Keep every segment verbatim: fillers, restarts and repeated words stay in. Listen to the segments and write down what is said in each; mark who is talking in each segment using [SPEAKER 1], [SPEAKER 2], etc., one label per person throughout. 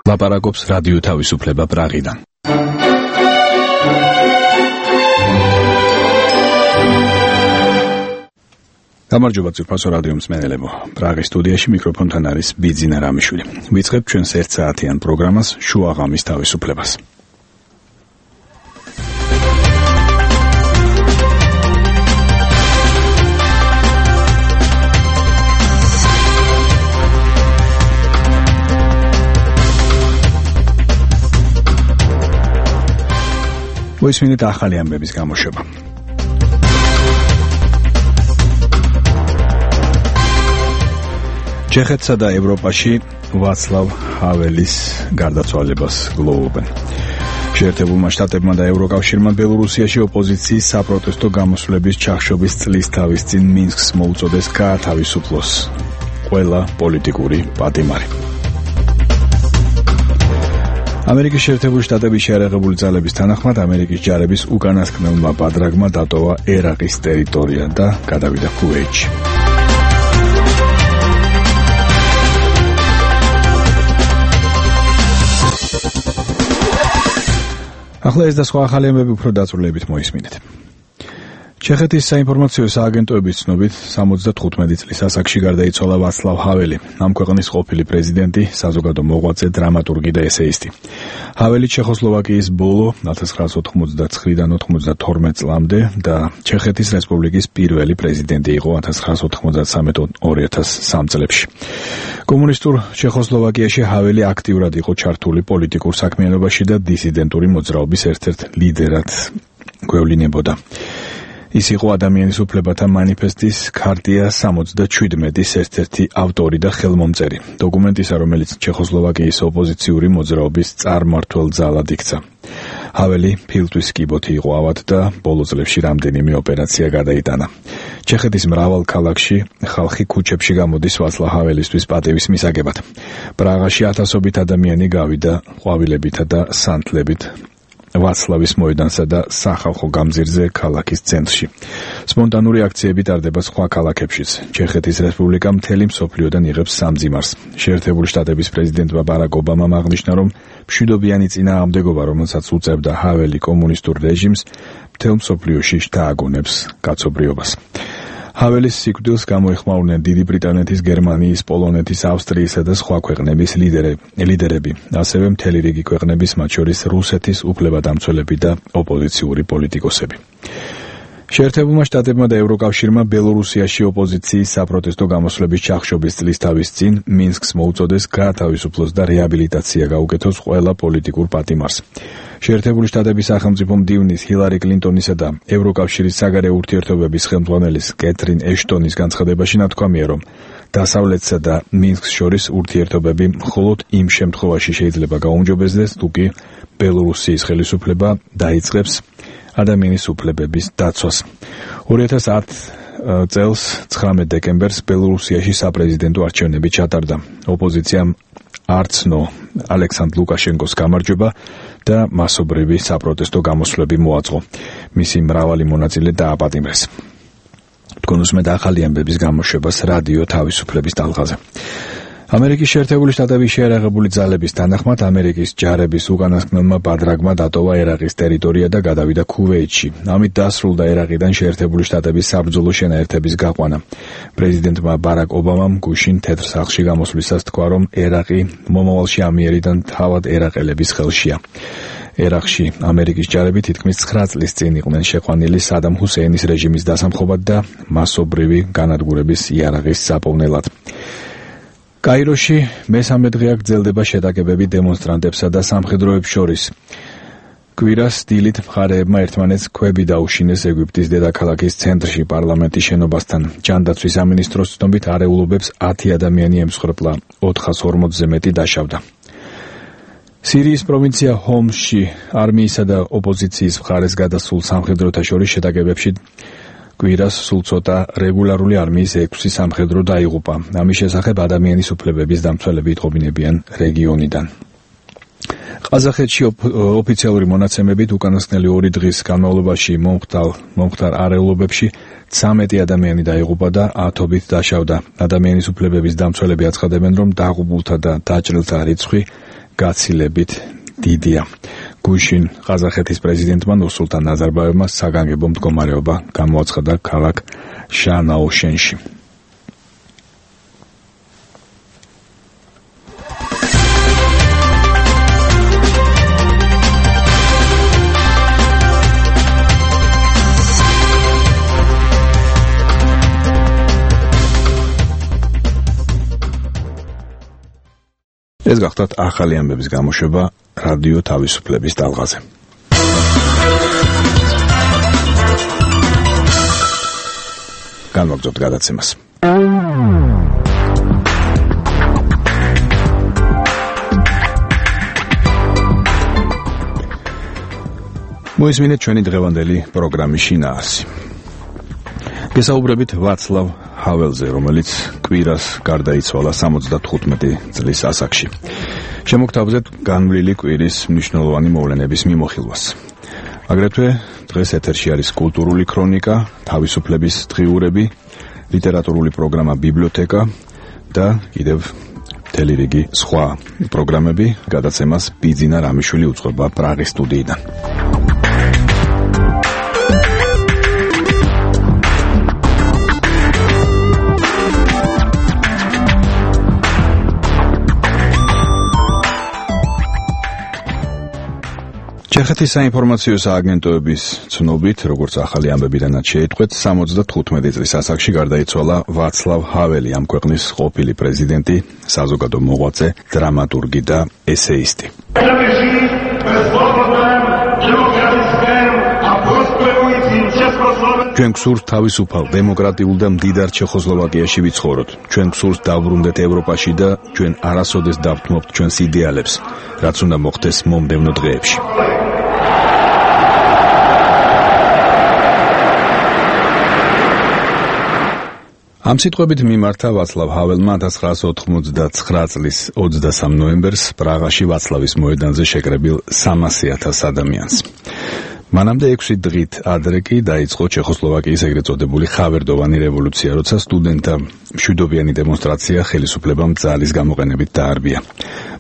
[SPEAKER 1] ლაპარაკობს რადიო თავისუფლება პრაღიდან. გამარჯობა ძვირფასო რადიო მსმენელებო. პრაღის სტუდიაში მიკროფონთან არის ბიძინა რამიშვილი. ვიწყებთ ჩვენს ერთ საათიან პროგრამას შუა ღამის თავისუფლებას. მოისმინეთ ახალი ამბების გამოშვება. ჩეხეთსა და ევროპაში ვაცლავ ჰაველის გარდაცვალებას გლოვობენ. შეერთებულმა შტატებმა და ევროკავშირმა ბელორუსიაში ოპოზიციის საპროტესტო გამოსვლების ჩახშობის წლის თავის წინ მინსკს მოუწოდეს გაათავისუფლოს ყველა პოლიტიკური პატიმარი. ამერიკის შეერთებული შტატების შეიარაღებული ძალების თანახმად ამერიკის ჯარების უკანასკნელმა ბადრაგმა დატოვა ერაყის ტერიტორია და გადავიდა ქუვეითში. ახლა ეს და სხვა ახალი ამბები უფრო დაწვრილებით მოისმინეთ. ჩეხეთის საინფორმაციო სააგენტოების ცნობით სამოცდათხუთმეტი წლის ასაკში გარდაიცვალა ვაცლავ ჰაველი, ამ ქვეყნის ყოფილი პრეზიდენტი, საზოგადო მოღვაწე, დრამატურგი და ესეისტი. ჰაველი ჩეხოსლოვაკიის ბოლო ათას ცხრაასი ოთხმოცდაცხრიდან ოთხმოცდათორმეტ წლამდე და ჩეხეთის რესპუბლიკის პირველი პრეზიდენტი იყო ათას ცხრაასი ოთხმოცდასამიდან ორი ათას სამი წლებში. კომუნისტურ ჩეხოსლოვაკიაში ჰაველი აქტიურად იყო ჩართული პოლიტიკურ საქმიანობაში და დისიდენტური მოძრაობის ერთ-ერთ ლიდერად გვევლინებოდა. ის იყო ადამიანის უფლებათა მანიფესტის ქარტია სამოცდაშვიდმეტის ერთ-ერთი ავტორი და ხელმომწერი. დოკუმენტისა, რომელიც ჩეხოსლოვაკიის ოპოზიციური მოძრაობის წარმმართველ ძალად იქცა. ჰაველი ფილტვის კიბოთი იყო ავად და ბოლო წლებში რამდენიმე ოპერაცია გადაიტანა. ჩეხეთის მრავალ ქალაქში ხალხი ქუჩებში გამოდის ვაცლავ ჰაველისთვის პატივის მისაგებად. პრაღაში ათასობით ადამიანი გავიდა ყვავილებითა და სანთლებით ვაცლავის მოედანსა და სახალხო გამზირზე ქალაქის ცენტრში. სპონტანური აქციები ტარდება სხვა ქალაქებშიც. ჩეხეთის რესპუბლიკა მთელი მსოფლიოდან იღებს სამძიმარს. შეერთებული შტატების პრეზიდენტმა ბარაკ ობამამ აღნიშნა, რომ მშვიდობიანი წინააღმდეგობა, რომელსაც უწევდა ჰაველი კომუნისტურ რეჟიმს, მთელ მსოფლიოში შთააგონებს კაცობრიობას. ჰაველის სიკვდილს გამოეხმაურნენ დიდი ბრიტანეთის, გერმანიის, პოლონეთის, ავსტრიისა და სხვა ქვეყნების ლიდერები, ასევე მთელი რიგი ქვეყნების, მათ შორის რუსეთის უფლებადამცველები და ოპოზიციური პოლიტიკოსები. შეერთებულმა შტატებმა და ევროკავშირმა ბელორუსიაში ოპოზიციის საპროტესტო გამოსვლების ჩახშობის წლის თავის წინ მინსკს მოუწოდეს გაათავისუფლოს და რეაბილიტაცია გაუკეთოს ყველა პოლიტიკურ პატიმარს. შეერთებული შტატების სახელმწიფო მდივნის ჰილარი კლინტონისა და ევროკავშირის საგარეო ურთიერთობების ხელმძღვანელის კეთრინ ეშტონის განცხადებაში ნათქვამია, რომ დასავლეთსა და მინსკს შორის ურთიერთობები მხოლოდ იმ შემთხვევაში შეიძლება გაუმჯობესდეს, თუ კი ბელორუსიის ხელისუფლება დაიწყებს ადამიანის უფლებების დაცვას. ორი ათას ათი წელს ცხრამეტ დეკემბერს ბელორუსიაში საპრეზიდენტო არჩევნები ჩატარდა. ოპოზიციამ არცნო ალექსანდრ ლუკაშენკოს გამარჯვება და მასობრივი საპროტესტო გამოსვლები მოაწყო. მისი მრავალი მონაწილე დააპატიმრეს. თქვენ უსმენთ ახალი ამბების გამოშვებას რადიო თავისუფლების ტალღაზე. ამერიკის შეერთებული შტატების შეიარაღებული ძალების თანახმად ამერიკის ჯარების უკანასკნელმა ბადრაგმა დატოვა ერაყის ტერიტორია და გადავიდა ქუვეითში. ამით დასრულდა ერაყიდან შეერთებული შტატების საბრძოლო შენაერთების გაყვანა. პრეზიდენტმა ბარაკ ობამამ გუშინ თეთრ სახლში გამოსვლისას თქვა, რომ ერაყი მომავალში ამიერიდან თავად ერაყელების ხელშია. ერაყში ამერიკის ჯარები თითქმის ცხრა წლის წინ იყვნენ შეყვანილი სადამ ჰუსეინის რეჟიმის დასამხობად და მასობრივი განადგურების იარაღის საპოვნელად. კაიროში მესამე დღეა გრძელდება შეტაკებები დემონსტრანტებსა და სამხედროებს შორის. კვირას დილით მხარეებმა ერთმანეთს ქვები დაუშინეს ეგვიპტის დედაქალაქის ცენტრში პარლამენტის შენობასთან. ჯანდაცვის სამინისტროს ცნობით არეულობებს ათი ადამიანი ემსხვერპლა, ოთხას ორმოცზე მეტი დაშავდა. სირიის პროვინცია ჰომსში არმიისა და ოპოზიციის მხარეს გადასულ სამხედროთა შორის შეტაკებებში კვირას სულ ცოტა რეგულარული არმიის ექვსი სამხედრო დაიღუპა. ამის შესახებ ადამიანის უფლებების დამცველები იტყობინებიან რეგიონიდან. ყაზახეთში ოფიციალური მონაცემებით უკანასკნელი ორი დღის განმავლობაში მომხდარ არეულობებში ცამეტი ადამიანი დაიღუპა და ათობით დაშავდა. ადამიანის უფლებების დამცველები აცხადებენ, რომ დაღუპულთა და დაჭრილთა რიცხვი გაცილებით დიდია. გუშინ ყაზახეთის პრეზიდენტმა ნურსულთან ნაზარბაევმა საგანგებო მდგომარეობა გამოაცხადა ქალაქ შანაოშენში. ეს გახდათ ახალი ამბების გამოშვება რადიო თავისუფლების ტალღაზე. განვაგრძობთ გადაცემას. მოისმინეთ ჩვენი დღევანდელი პროგრამის შინაარსი. გესაუბრებით ვაცლავ ჰაველზე, რომელიც კვირას გარდაიცვალა სამოცდათხუთმეტი წლის ასაკში. შემოგთავაზეთ განვლილი კვირის მნიშვნელოვანი მოვლენების მიმოხილვას. აგრეთვე დღეს ეთერში არის კულტურული ქრონიკა, თავისუფლების დღიურები, ლიტერატურული პროგრამა ბიბლიოთეკა და კიდევ მთელი რიგი სხვა პროგრამები. გადაცემას ბიძინა რამიშვილი უწყობა პრაღის სტუდიიდან. ჩეხეთის საინფორმაციო სააგენტოების ცნობით, როგორც ახალი ამბებიდანაც შეიტყვეთ, სამოცდათხუთმეტი წლის ასაკში გარდაიცვალა ვაცლავ ჰაველი, ამ ქვეყნის ყოფილი პრეზიდენტი, საზოგადო მოღვაწე, დრამატურგი და ესეისტი. ჩვენ გსურთ თავისუფალ, დემოკრატიულ და მდიდარ ჩეხოსლოვაკიაში ვიცხოვროთ. ჩვენ გსურთ დავბრუნდეთ ევროპაში და ჩვენ არასოდეს დავთმობთ ჩვენს იდეალებს, რაც უნდა მოხდეს მომდევნო დღეებში. ამ სიტყვებით მიმართა ვაცლავ ჰაველმა ათას ცხრაასი ოთხმოცდაცხრა წლის ოცდასამ ნოემბერს პრაღაში ვაცლავის მოედანზე შეკრებილ სამასი ათას ადამიანს. მანამდე ექვსი დღით ადრე კი დაიწყო ჩეხოსლოვაკიის ეგრეთ წოდებული ხავერდოვანი რევოლუცია, როცა სტუდენტთა მშვიდობიანი დემონსტრაცია ხელისუფლებამ ძალის გამოყენებით დაარბია.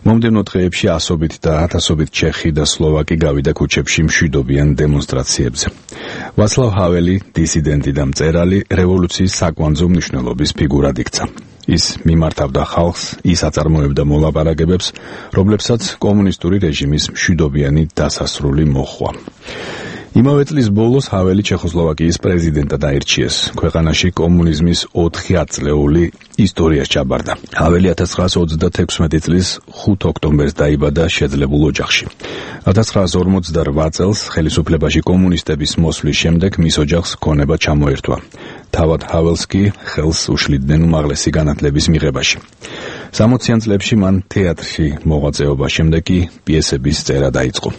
[SPEAKER 1] მომდევნო დღეებში ასობით და ათასობით ჩეხი და სლოვაკი გავიდა ქუჩებში მშვიდობიან დემონსტრაციებზე. ვაცლავ ჰაველი, დისიდენტი და მწერალი, რევოლუციის საკვანძო მნიშვნელობის ფიგურად იქცა. ის მიმართავდა ხალხს, ის აწარმოებდა მოლაპარაკებებს, რომლებსაც კომუნისტური რეჟიმის მშვიდობიანი დასასრული მოჰყვა. იმავე წლის ბოლოს ჰაველი ჩეხოსლოვაკიის პრეზიდენტად აირჩიეს. ქვეყანაში კომუნიზმის ოთხი ათწლეული ისტორიას ჩაბარდა. ჰაველი ათას ცხრაასი ოცდათექვსმეტი წლის ხუთ ოქტომბერს დაიბადა შეძლებულ ოჯახში. ათას ცხრაასი ორმოცდარვა წელს ხელისუფლებაში კომუნისტების მოსვლის შემდეგ მის ოჯახს ქონება ჩამოერთვა. თავად ჰაველს კი ხელს უშლიდნენ უმაღლესი განათლების მიღებაში. სამოციან წლებში მან თეატრში მოღვაწეობის შემდეგ კი პიესების წერა დაიწყო.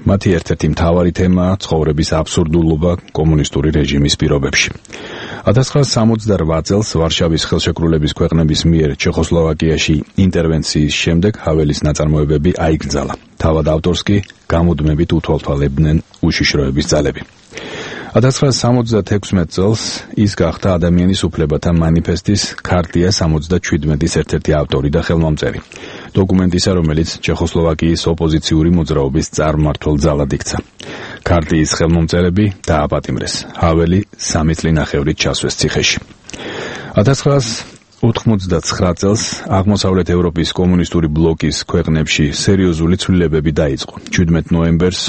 [SPEAKER 1] მათი ერთ-ერთი მთავარი თემაა ცხოვრების აბსურდულობა კომუნისტური რეჟიმის პირობებში. ათას ცხრაასი სამოცდარვა წელს ვარშავის ხელშეკრულების ქვეყნების მიერ ჩეხოსლოვაკიაში ინტერვენციის შემდეგ ჰაველის ნაწარმოებები აიკრძალა. თავად ავტორს კი გამუდმებით უთვალთვალებდნენ უშიშროების ძალები. ათას ცხრაასი სამოცდათექვსმეტ წელს ის გახდა ადამიანის უფლებათა მანიფესტის ქარტია სამოცდაჩვიდმეტის ერთ-ერთი ავტორი და ხელმომწერი. დოკუმენტისა, რომელიც ჩეხოსლოვაკიის ოპოზიციური მოძრაობის წარმმართველ ძალად იქცა. ქარტიის ხელმომწერები დააპატიმრეს. ჰაველი სამი წლინახევრით ჩასვეს ციხეში. ათას ცხრაასი ოთხმოცდაცხრა წელს აღმოსავლეთ ევროპის კომუნისტური ბლოკის ქვეყნებში სერიოზული ცვლილებები დაიწყო. ჩვიდმეტ ნოემბერს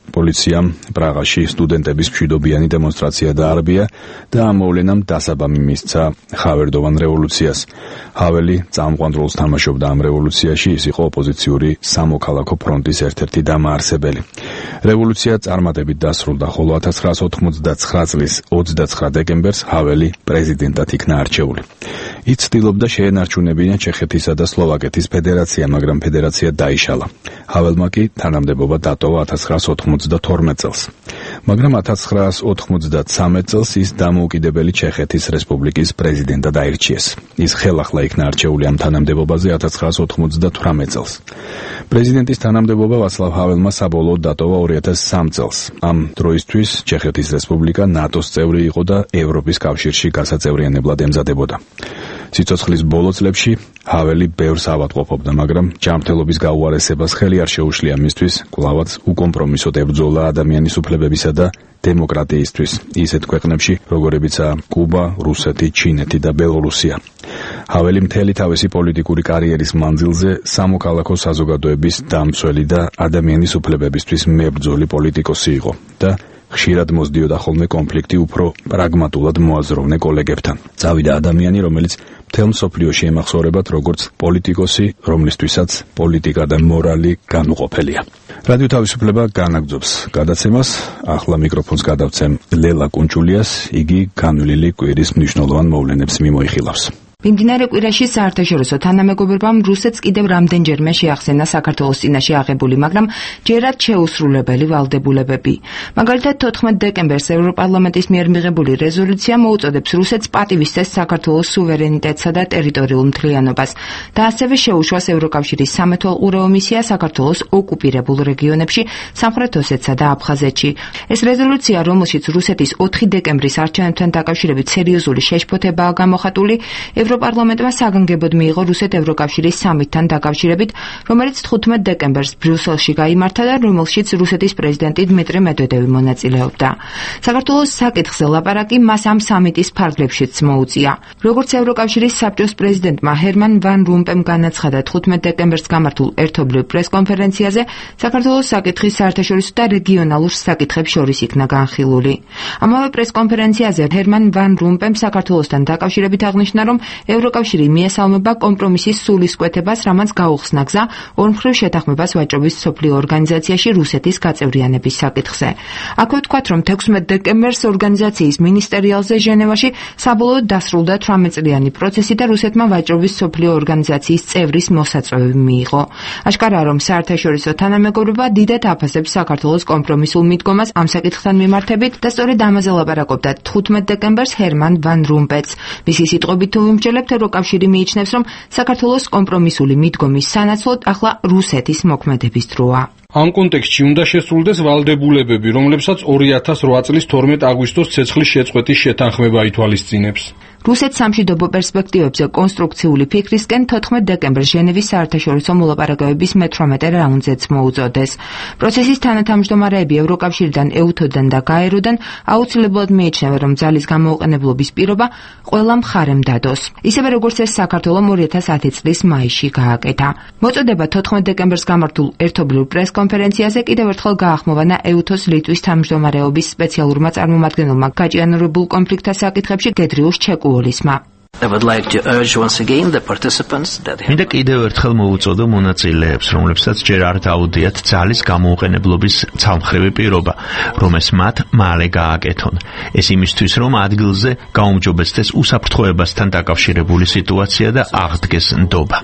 [SPEAKER 1] პოლიციამ პრაღაში სტუდენტების მშვიდობიანი დემონსტრაცია დაარბია და ამ მოვლენამ დასაბამი მისცა ხავერდოვან რევოლუციას. ჰაველი წამყვან როლს თამაშობდა ამ რევოლუციაში, ის იყო ოპოზიციური სამოქალაქო ფრონტის ერთ-ერთი დამაარსებელი. რევოლუცია წარმატებით დასრულდა, ხოლო ათას ცხრაასი ოთხმოცდაცხრა წლის ოცდაცხრა დეკემბერს ჰაველი პრეზიდენტად იქნა არჩეული. ის ცდილობდა შეენარჩუნებინა ჩეხეთისა და სლოვაკეთის ფედერაცია, მაგრამ ფედერაცია დაიშალა. ჰაველმა კი თანამდებობა დატოვა ათას ცხრაასი ოთხმოცდათორმეტ წელს. მაგრამ ათას ცხრაასი ოთხმოცდათრამეტ წელს ის დამოუკიდებელი ჩეხეთის რესპუბლიკის პრეზიდენტად აირჩიეს. ის ხელახლა იქნა არჩეული ამ თანამდებობაზე ათას ცხრაასი ოთხმოცდათვრამეტ წელს. პრეზიდენტის თანამდებობა ვაცლავ ჰაველმა საბოლოოდ დატოვა ორი ათას სამი წელს. ამ დროისთვის ჩეხეთის რესპუბლიკა ნატოს წევრი იყო და ევროპის კავშირში გასაწევრიანებლად ემზადებოდა. სიცოცხლის ბოლო წლებში ჰაველი ბევრს ავადმყოფობდა, მაგრამ ჯანმრთელობის გაუარესებას ხელი არ შეუშლია მისთვის კვლავაც უკომპრომისოდ ებრძოლა ადამიანის უფლებებისა და დემოკრატიისთვის ისეთ ქვეყნებში, როგორებიცაა კუბა, რუსეთი, ჩინეთი და ბელორუსია. ჰაველი მთელი თავისი პოლიტიკური კარიერის მანძილზე სამოქალაქო საზოგადოების დამცველი და ადამიანის უფლებებისთვის მებრძოლი პოლიტიკოსი იყო და ხშირად მოსდიოდა ხოლმე კონფლიქტი უფრო პრაგმატულად მოაზროვნე კოლეგებთან. წავიდა ადამიანი, რომელიც მთელ მსოფლიოში ემახსოვრებათ როგორც პოლიტიკოსი, რომლისთვისაც პოლიტიკა და მორალი განუყოფელია. რადიო თავისუფლება განაგრძობს გადაცემას. ახლა მიკროფონს გადავცემ ლელა კუნჭულიას, იგი განვლილი კვირის მნიშვნელოვან მოვლენებს მიმოიხილავს.
[SPEAKER 2] მიმდინარე კვირაში საერთაშორისო თანამეგობრობამ რუსეთს კიდევ რამდენჯერმე შეახსენა საქართველოს წინაშე აღებული, მაგრამ ჯერად შეუსრულებელი ვალდებულებები. მაგალითად, თოთხმეტ დეკემბერს ევროპარლამენტის მიერ მიღებული რეზოლუცია მოუწოდებს რუსეთს პატივისცეს საქართველოს სუვერენიტეტსა და ტერიტორიულ მთლიანობას და ასევე შეუშვას ევროკავშირის სამეთვალყურეო მისია საქართველოს ოკუპირებულ რეგიონებში, სამხრეთ ოსეთსა და აფხაზეთში. ეს რეზოლუცია, რომელშიც რუსეთის ოთხი დეკემბრის არჩევნებთან დაკავშირებით სერიოზული შეშფოთებაა გამოხატული, ევროპარლამენტმა საგანგებოდ მიიღო რუსეთ-ევროკავშირის სამიტთან დაკავშირებით, რომელიც თხუთმეტ დეკემბერს ბრიუსელში გაიმართა და რომელშიც რუსეთის პრეზიდენტი დმიტრი მედვედევი მონაწილეობდა. საქართველოს საკითხზე ლაპარაკი მას ამ სამიტის ფარგლებშიც მოუწია. როგორც ევროკავშირის საბჭოს პრეზიდენტმა ჰერმან ვან რომპემ განაცხადა თხუთმეტ დეკემბერს გამართულ ერთობლივ პრესკონფერენციაზე, საქართველოს საკითხი საერთაშორისო და რეგიონალურ საკითხებს შორის იქნა განხილული. ამავე პრესკონფერენციაზე ჰერმან ვან რომპემ საქართველოსთან დაკავშირებით აღნიშნა, რომ ევროკავშირი მიესალმება კომპრომისის სულისკვეთებას, რამაც გაუხსნა გზა ორმხრივ შეთანხმებას ვაჭრობის მსოფლიო ორგანიზაციაში რუსეთის გაწევრიანების საკითხზე. აქვე ვთქვათ, რომ თექვსმეტ დეკემბერს ორგანიზაციის მინისტერიალზე ჟენევაში საბოლოოდ დასრულდა თვრამეტ წლიანი პროცესი და რუსეთმა ვაჭრობის მსოფლიო ორგანიზაციის წევრის მოსაწვევი მიიღო. აშკარაა, რომ საერთაშორისო თანამეგობრობა დიდად აფასებს საქართველოს კომპრომისულ მიდგომას ამ საკითხთან მიმართებით და სწორედ ამაზე ლაპარაკობდა თხუთმეტ დეკემბერს ჰერმან ვან რომპემს. მისი სიტყვებით თუ ვიმსჯელებთ, ევროკავშირი მიიჩნევს, რომ საქართველოს კომპრომისული მიდგომის სანაცვლოდ ახლა რუსეთის მოქმედების დროა.
[SPEAKER 3] ამ კონტექსტში უნდა შესრულდეს ვალდებულებები, რომლებსაც ორი ათას რვა წლის თორმეტ აგვისტოს ცეცხლის შეწყვეტის შეთანხმება ითვალისწინებს.
[SPEAKER 2] რუსეთს სამშვიდობო პერსპექტივებზე კონსტრუქციული ფიქრისკენ თოთხმეტ დეკემბერს ჟენევის საერთაშორისო მოლაპარაკებების მეთვრამეტე რაუნდზეც მოუწოდეს. პროცესის თანათავმჯდომარეები ევროკავშირიდან, ეუთოდან და გაეროდან აუცილებლად მიიჩნევენ, რომ ძალის გამოუყენებლობის პირობა ყველა მხარემ დადოს. ისევე როგორც ეს საქართველომ ორი ათას ათი წლის მაისში გააკეთა. მოწოდება თოთხმეტ დეკემბერს გამართულ ერთობლივ პრესკონფერენციაზე კიდევ ერთხელ გაახმოვანა ეუთოს ლიტვის თავმჯდომარეობის სპეციალურმა წარმომადგენელმა გაჭიანურებულ კონფლიქტთა საკითხებში გედრიუშ ჩეკუოლისმა.
[SPEAKER 4] მინდა კიდევ ერთხელ მოუწოდო მონაწილეებს, რომლებსაც ჯერ არ დაუდიათ ძალის გამოუყენებლობის ცალმხრივი პირობა, რომ ეს მათ მალე გააკეთონ. ეს იმისთვის, რომ ადგილზე გაუმჯობესდეს უსაფრთხოებასთან დაკავშირებული სიტუაცია და აღდგეს ნდობა.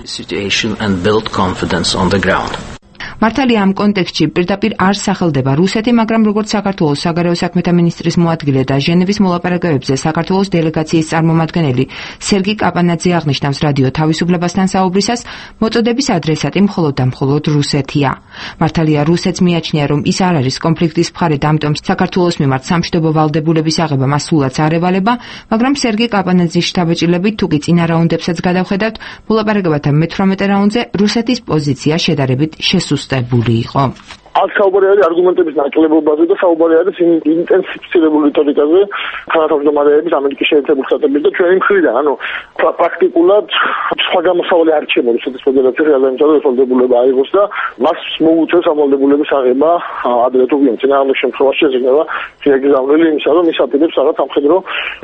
[SPEAKER 2] მართალია ამ კონტექსტში პირდაპირ არ სახელდება რუსეთი, მაგრამ როგორც საქართველოს საგარეო საქმეთა მინისტრის მოადგილე და ჟენევის მოლაპარაკებებზე საქართველოს დელეგაციის წარმომადგენელი სერგი კაპანაძე აღნიშნავს რადიო თავისუფლებასთან საუბრისას, მოწოდების ადრესატი მხოლოდ და მხოლოდ რუსეთია. მართალია რუსეთს მიაჩნია, რომ ის არ არის კონფლიქტის მხარე და ამიტომ საქართველოს მიმართ სამშვიდობო ვალდებულების აღება მას სულაც არ ევალება, მაგრამ სერგი კაპანაძის შთაბეჭდილებით თუ კი წინა რაუნდებსაც გადავხედავთ, მოლაპარაკებათა მეთვრამეტე რაუნდზე რუსეთის პოზიცია შედარებით შესუსტებული იყო.
[SPEAKER 5] აქ საუბარი არის არგუმენტების ნაკლებობაზე და საუბარი არის ინტენსიფიცირებული რიტორიკაზე თანათავმჯდომარეების ამერიკის შეერთებული შტატების და ჩვენი მხრიდან. ანუ პრაქტიკულად სხვა გამოსავალი არ რჩება რუსეთის ფედერაციაში, რადგან ვალდებულება აიღოს და მას მოუწევს ამ ვალდებულების აღება ადრე თუ ვინ წინააღმდეგ შემთხვევაში შეიძლება შეეგზავნილი იმისა, რომ ის აპირებს რაღაც სამხედრო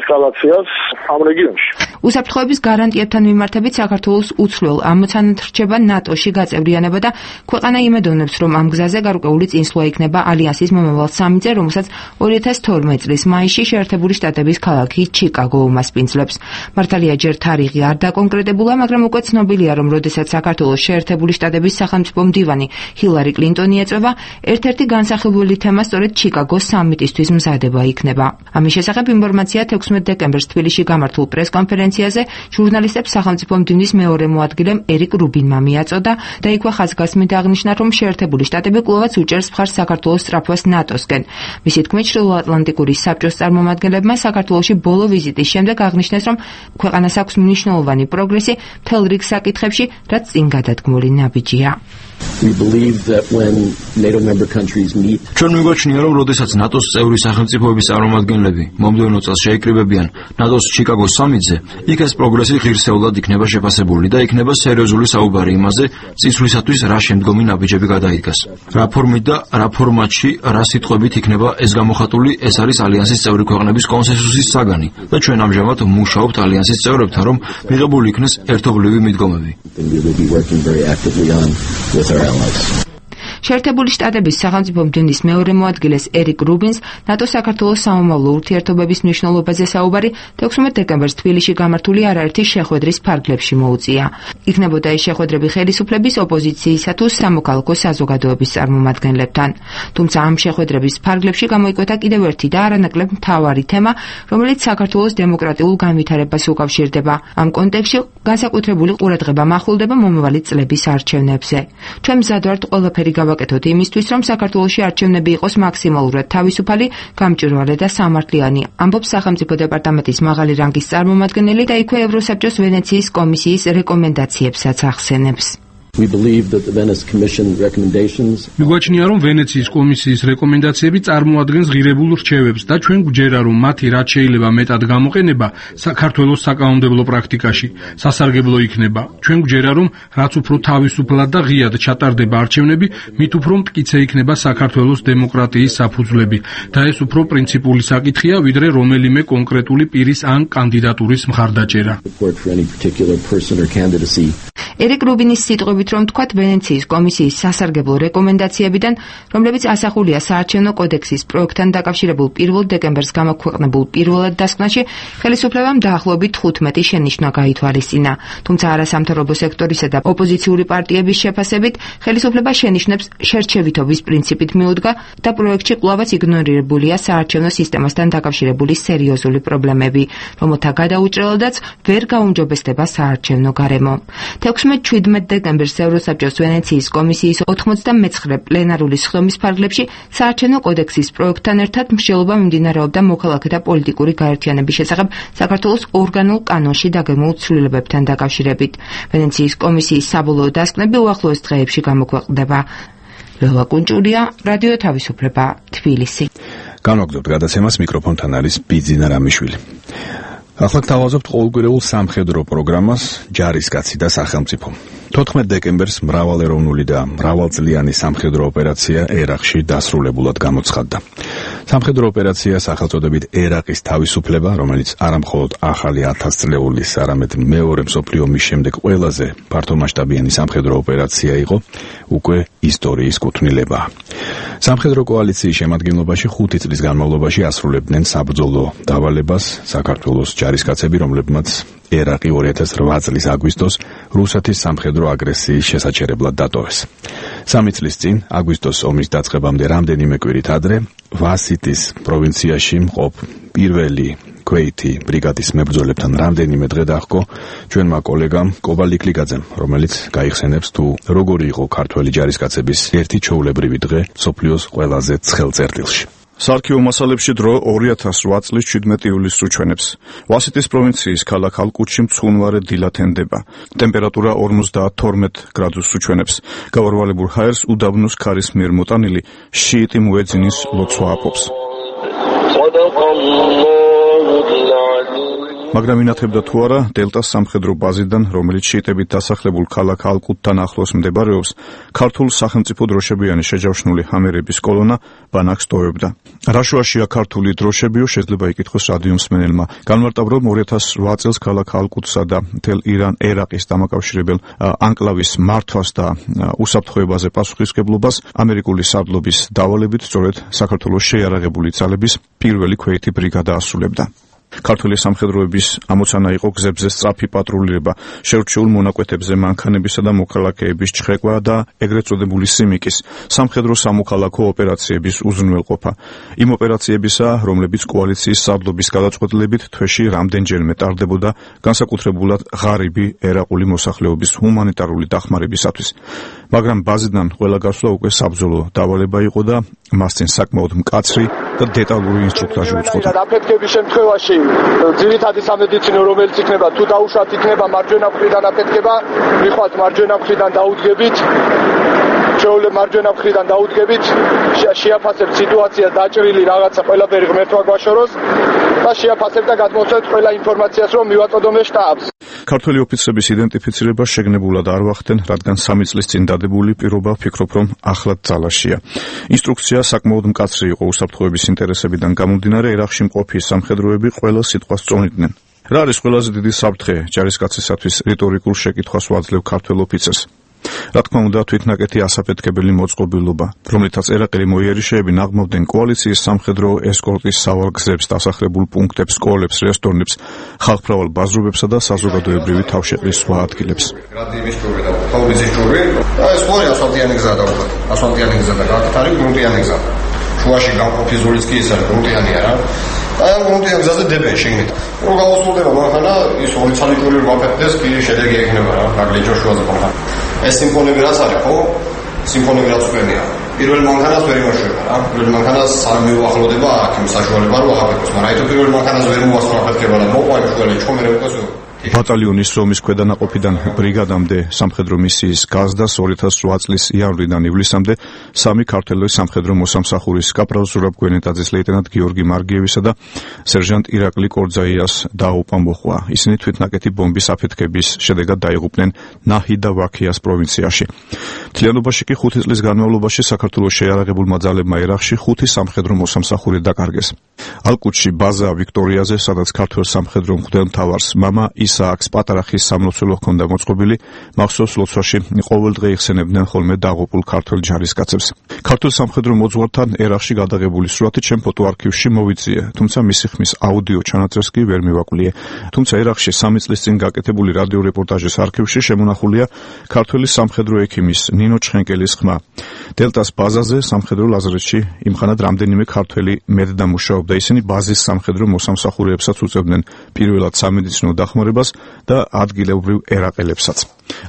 [SPEAKER 5] ესკალაციას ამ რეგიონში.
[SPEAKER 2] უსაფრთხოების გარანტიებთან მიმართებით საქართველოს უცვლელ ამოცანად რჩება ნატოში გაწევრიანება და ქვეყანა იმედოვნებს, რომ ამ გზაზე გარკვეული წინსვლა იქნება ალიანსის მომავალ სამიტზე, რომელსაც ორი ათას თორმეტ წლის მაისში შეერთებული შტატების ქალაქი ჩიკაგო უმასპინძლებს. მართალია ჯერ თარიღი არ დაკონკრეტებულა, მაგრამ უკვე ცნობილია, რომ როდესაც საქართველოს შეერთებული შტატების სახელმწიფო მდივანი ჰილარი კლინტონი ეწვევა, ერთ-ერთი განსახილველი თემა სწორედ ჩიკაგოს სამიტისთვის მზადება იქნება. ამის შესახებ ინფორმაცია თექვსმეტ დეკემბერს თბილისში გამართულ პრესკონფერენციაზე კონფერენციაზე ჟურნალისტებს სახელმწიფო მდივნის მეორე მოადგილემ ერიკ რუბინმა მიაწოდა და იქვე ხაზგასმით აღნიშნა, რომ შეერთებული შტატები კვლავაც უჭერს მხარს საქართველოს სწრაფვას ნატოსკენ. მისი თქმით, ჩრდილოატლანტიკური საბჭოს წარმომადგენლებმა საქართველოში ბოლო ვიზიტის შემდეგ აღნიშნეს, რომ ქვეყანას აქვს მნიშვნელოვანი პროგრესი მთელ რიგ საკითხებში, რაც წინ გადადგმული ნაბიჯია.
[SPEAKER 6] We believe that when NATO member countries meet,
[SPEAKER 7] ჩვენ მიგვაჩნია, რომ როდესაც ნატოს წევრი სახელმწიფოების წარმომადგენლები მომდევნო წელს შეიკრიბებიან ნატოს ჩიკაგოს სამიტზე, იქ ეს პროგრესი ღირსეულად იქნება შეფასებული და იქნება სერიოზული საუბარი იმაზე, წინსვლისათვის რა შემდგომი ნაბიჯები გადაიდგას. რა ფორმით და რა ფორმატში, რა სიტყვებით იქნება ეს გამოხატული, ეს არის ალიანსის წევრი ქვეყნების კონსენსუსის საგანი და ჩვენ ამჟამად მუშაობთ ალიანსის წევრებთან, რომ მიღებული იქნეს ერთობლივი მიდგომები.
[SPEAKER 6] we will be working very actively on with our allies.
[SPEAKER 2] შეერთებული შტატების სახელმწიფო მდივნის მეორე მოადგილეს ერიკ რუბინს ნატო-საქართველოს სამომავლო ურთიერთობების მნიშვნელობაზე საუბარი თექვსმეტ დეკემბერს თბილისში გამართული არაერთი შეხვედრის ფარგლებში მოუწია. იქნებოდა ეს შეხვედრები ხელისუფლების, ოპოზიციისა თუ სამოქალაქო საზოგადოების წარმომადგენლებთან. თუმცა ამ შეხვედრების ფარგლებში გამოიკვეთა კიდევ ერთი და არანაკლებ მთავარი თემა, რომელიც საქართველოს დემოკრატიულ განვითარებას უკავშირდება. ამ კონტექსტში განსაკუთრებული ყურადღება მახვილდება მომავალი წლების არჩევნებზე. ჩვენ მზად ვართ ყველაფერი გავაკეთოთ იმისთვის, რომ საქართველოში არჩევნები იყოს მაქსიმალურად თავისუფალი, გამჭვირვალე და სამართლიანი, ამბობს სახელმწიფო დეპარტამენტის მაღალი რანგის წარმომადგენელი და იქვე ევროსაბჭოს ვენეციის კომისიის რეკომენდაციებსაც ახსენებს.
[SPEAKER 6] We believe that the Venice Commission recommendations
[SPEAKER 3] მიგვაჩნია, რომ ვენეციის კომისიის რეკომენდაციები წარმოადგენს ღირებულ რჩევებს და ჩვენ გვჯერა, რომ მათი რაც შეიძლება მეტად გამოყენება საქართველოს საკანონმდებლო პრაქტიკაში სასარგებლო იქნება. ჩვენ გვჯერა, რომ რაც უფრო თავისუფლად და ღიად ჩატარდება არჩევნები, მით უფრო მტკიცე იქნება საქართველოს დემოკრატიის საფუძვლები და ეს უფრო პრინციპული საკითხია, ვიდრე რომელიმე კონკრეტული პირის ან კანდიდატურის მხარდაჭერა.
[SPEAKER 6] support for any particular person or candidacy.
[SPEAKER 2] ერიკ რუბინის სიტყვებით, რომ თქვათ ვენეციის კომისიის სასარგებლო რეკომენდაციებიდან, რომლებიც ასახულია საარჩევნო კოდექსის პროექტთან დაკავშირებულ პირველ დეკემბერს გამოქვეყნებულ პირველად დასკვნაში, ხელისუფლებამ დაახლოებით თხუთმეტი შენიშვნა გაითვალისწინა. თუმცა არასამთავრობო სექტორისა და ოპოზიციური პარტიების შეფასებით, ხელისუფლება შენიშვნებს შერჩევითობის პრინციპით მიუდგა და პროექტში კვლავაც იგნორირებულია საარჩევნო სისტემასთან დაკავშირებული სერიოზული პრობლემები, რომელთა გადაუჭრელადაც ვერ გაუმჯობესდება საარჩევნო გარემო. თექვსმეტ შვიდმეტ დეკემბერს ევროსაბჭოს ვენეციის კომისიის ოთხმოცდამეცხრე პლენარული სხდომის ფარგლებში საარჩევნო კოდექსის პროექტთან ერთად მსჯელობა მიმდინარეობდა მოქალაქეთა პოლიტიკური გაერთიანების შესახებ საქართველოს ორგანულ კანონში დაგეგმულ ცვლილებებთან დაკავშირებით. ვენეციის კომისიის საბოლოო დასკვნები უახლოეს დღეებში გამოქვეყნდება. ლელა კუნჭურია, რადიო თავისუფლება, თბილისი.
[SPEAKER 1] განვაგრძობთ გადაცემას, მიკროფონთან არის ბიძინა რამიშვილი. ახლა გთავაზობთ ყოველკვირეულ სამხედრო პროგრამას ჯარისკაცი და სახელმწიფო. თოთხმეტ დეკემბერს მრავალეროვნული და მრავალწლიანი სამხედრო ოპერაცია ერაყში დასრულებულად გამოცხადდა. სამხედრო ოპერაცია სახელწოდებით ერაყის თავისუფლება, რომელიც არამხოლოდ ახალი ათასწლეულის, არამედ მეორე მსოფლიო ომის შემდეგ ყველაზე ფართომასშტაბიანი სამხედრო ოპერაცია იყო, უკვე ისტორიის კუთვნილებაა. სამხედრო კოალიციის შემადგენლობაში ხუთი წლის განმავლობაში ასრულებდნენ საბრძოლო დავალებას საქართველოს ჯარისკაცები, რომლებმაც ერაყი ორი ათას რვა წლის აგვისტოს რუსეთის სამხედრო აგრესიის შესაჩერებლად დატოვეს. სამი წლის წინ, აგვისტოს ომის დაწყებამდე რამდენიმე კვირით ადრე, ვასიტის პროვინციაში მყოფ პირველი ქვეითი ბრიგადის მებრძოლებთან რამდენიმე დღე დაჰყო ჩვენმა კოლეგამ კობალ იკლიკაძემ, რომელიც გაიხსენებს თუ როგორი იყო ქართველი ჯარისკაცების ერთი ჩვეულებრივი დღე მსოფლიოს ყველაზე ცხელ წერტილში.
[SPEAKER 8] სარქიო მასალებში დრო ორი ათას რვა წლის შვიდმეტი ივლისს უჩვენებს. ვასიტის პროვინციის ქალაქ ალკუტში მცუნვარე დილად ენდება. ტემპერატურა ორმოცდათორმეტ გრადუსს უჩვენებს. გავარვალებულ ჰაერს უდაბნოს ქარის მიერ მოტანილი შიიტი მუეძინის ლოცვა აპობს. მაგრამ ინათებდა თუ არა დელტას სამხედრო ბაზიდან, რომელიც შიიტებით დასახლებულ ქალაქ ალკუტთან ახლოს მდებარეობს, ქართულ სახელმწიფო დროშებიანი შეჯავშნული ჰამერების კოლონა ბანაკს ტოვებდა. რა შუაშია ქართული დროშებიო, შეიძლება იკითხოს რადიო მსმენელმა. განმარტავ, რომ ორი ათას რვა წელს ქალაქ ალკუტსა და მთელ ირან-ერაყის დამაკავშირებელ ანკლავის მართვას და უსაფრთხოებაზე პასუხისმგებლობას ამერიკული სარდლობის დავალებით სწორედ საქართველოს შეიარაღებული ძალების პირველი ქვეითი ბრიგადა ასრულებდა. ქართული სამხედროების ამოცანა იყო გზებზე სწრაფი პატრულირება, შერჩეულ მონაკვეთებზე მანქანებისა და მოქალაქეების ჩხრეკვა და ეგრეთ წოდებული სიმიკის, სამხედრო სამოქალაქო ოპერაციების უზრუნველყოფა. იმ ოპერაციებისა, რომლებიც კოალიციის სარდლობის გადაწყვეტილებით თვეში რამდენჯერმე ტარდებოდა, განსაკუთრებულად ღარიბი ერაყული მოსახლეობის ჰუმანიტარული დახმარებისათვის. მაგრამ ბაზიდან ყველა გასვლა უკვე საბრძოლო დავალება იყო და მასწინ საკმაოდ მკაცრი და დეტალური ინსტრუქტაჟი უწყოდა.
[SPEAKER 5] აფეთქების შემთხვევაში ძირითადი სამედიცინო, რომელიც იქნება თუ დაუშვათ იქნება მარჯვენა მხრიდან აფეთქება, მიხვალთ მარჯვენა მხრიდან დაუდგებით, შეუძლებ მარჯვენა მხრიდან დაუდგებით, შეაფასებთ სიტუაცია, დაჭრილი რაღაცა ყველაფერი ღმერთმა გვაშოროს და შეაფასებთ და გადმოსცემთ ყველა ინფორმაციას, რომ მივაწოდომე შტაბს.
[SPEAKER 8] ქართველი ოფიცრების იდენტიფიცირება შეგნებულად არ ვახდენ, რადგან სამი წლის წინ დადებული პირობა ვფიქრობ, რომ ახლად ძალაშია. ინსტრუქცია საკმაოდ მკაცრი იყო უსაფრთხოების ინტერესებიდან გამომდინარე, ერაყში მყოფი სამხედროები ყველა სიტყვას წონიდნენ. რა არის ყველაზე დიდი საფრთხე ჯარისკაცისათვის რიტორიკულ შეკითხვას ვაძლევ ქართველ ოფიცერს. რა თქმა უნდა, თვითნაკეთი ასაფეთქებელი მოწყობილობა, რომლითაც ერაყელი მოიერიშეები ნაღმავდნენ კოალიციის სამხედრო ესკორტის სავალგზებს, დასახლებულ პუნქტებს, სკოლებს, რესტორნებს, ხალხმრავალ ბაზრობებსა და საზოგადოებრივი თავშეყრის სხვა ადგილებს.
[SPEAKER 9] გრადიების ჯური და თაუზის ჯური, ეს ხორი ასფალტიანი გზა და უკვე ასფალტიანი გზა და აქ არის გრუნტიანი გზა. შუაში გამყოფი ზოლიც კი ეს არის გრუნტიანი არა. აი ამ გრუნტიან გზაზე დებენ შეგნით. რო გავუსრულდება მანქანა, ის ორი ცალიტური ვაფეთქდეს, კი შედეგი ექნება რა, გაგლიჯო შუაზე მანქანა. ეს სიმფონები რაც არის, ხო? სიმფონები რაც უყენია. პირველ მანქანას ვერ იმოშვება რა. პირველ მანქანას არ მიუახლოვდება აქ იმ საშუალება რომ აღაფეთქოს, მაგრამ აიტო პირველ მანქანას ვერ მოასწრო აფეთქება და მოყვა შუალე ჩხომერე უკვე
[SPEAKER 8] ბატალიონის რომის ქვედანაყოფიდან ბრიგადამდე სამხედრო მისიის გაზდას ორი ათას ოთხ წლის იანვრიდან ივლისამდე სამი ქართველი სამხედრო მოსამსახურის კაპრალ ზურაბ გვენეტაძის, ლეიტენანტ გიორგი მარგიევისა და სერჟანტ ირაკლი კორძაიას დაუყვა მოხვა. ისინი თვითნაკეთი ბომბის აფეთქების შედეგად დაიღუპნენ ნაჰი და ვაქიას პროვინციაში. მთლიანობაში კი ხუთი წლის განმავლობაში საქართველოს შეიარაღებულმა ძალებმა ერაყში ხუთი სამხედრო მოსამსახური დაკარგეს. ალკუტში ბაზა ვიქტორიაზე, სადაც ქართველ სამხედრო მღვდელმთავარს მამა ისააკს პატარა ხის სამლოცველო ჰქონდა მოწყობილი, მახსოვს ლოცვაში ყოველდღე იხსენებდნენ ხოლმე დაღუპულ ქართველ ჯარისკაცებს. ქართულ სამხედრო მოძღვართან ერაყში გადაღებული სურათი ჩემ ფოტოარქივში მოვიწიე, თუმცა მისი ხმის აუდიო ჩანაწერს კი ვერ მივაკვლიე. თუმცა ერაყში სამი წლის წინ გაკეთებული რადიო რეპორტაჟის არქივში შემონახულია ქართველი სამხედრო ექიმის ნინო ჩხენკელის ხმა. დელტას ბაზაზე სამხედრო ლაზარეთში იმხანად რამდენიმე ქართველი მედდა მუშაობდა, ისინი ბაზის სამხედრო მოსამსახურეებსაც უწევდნენ პირველად სამედიცინო დახმარებას და ადგილობრივ ერაყელებსაც.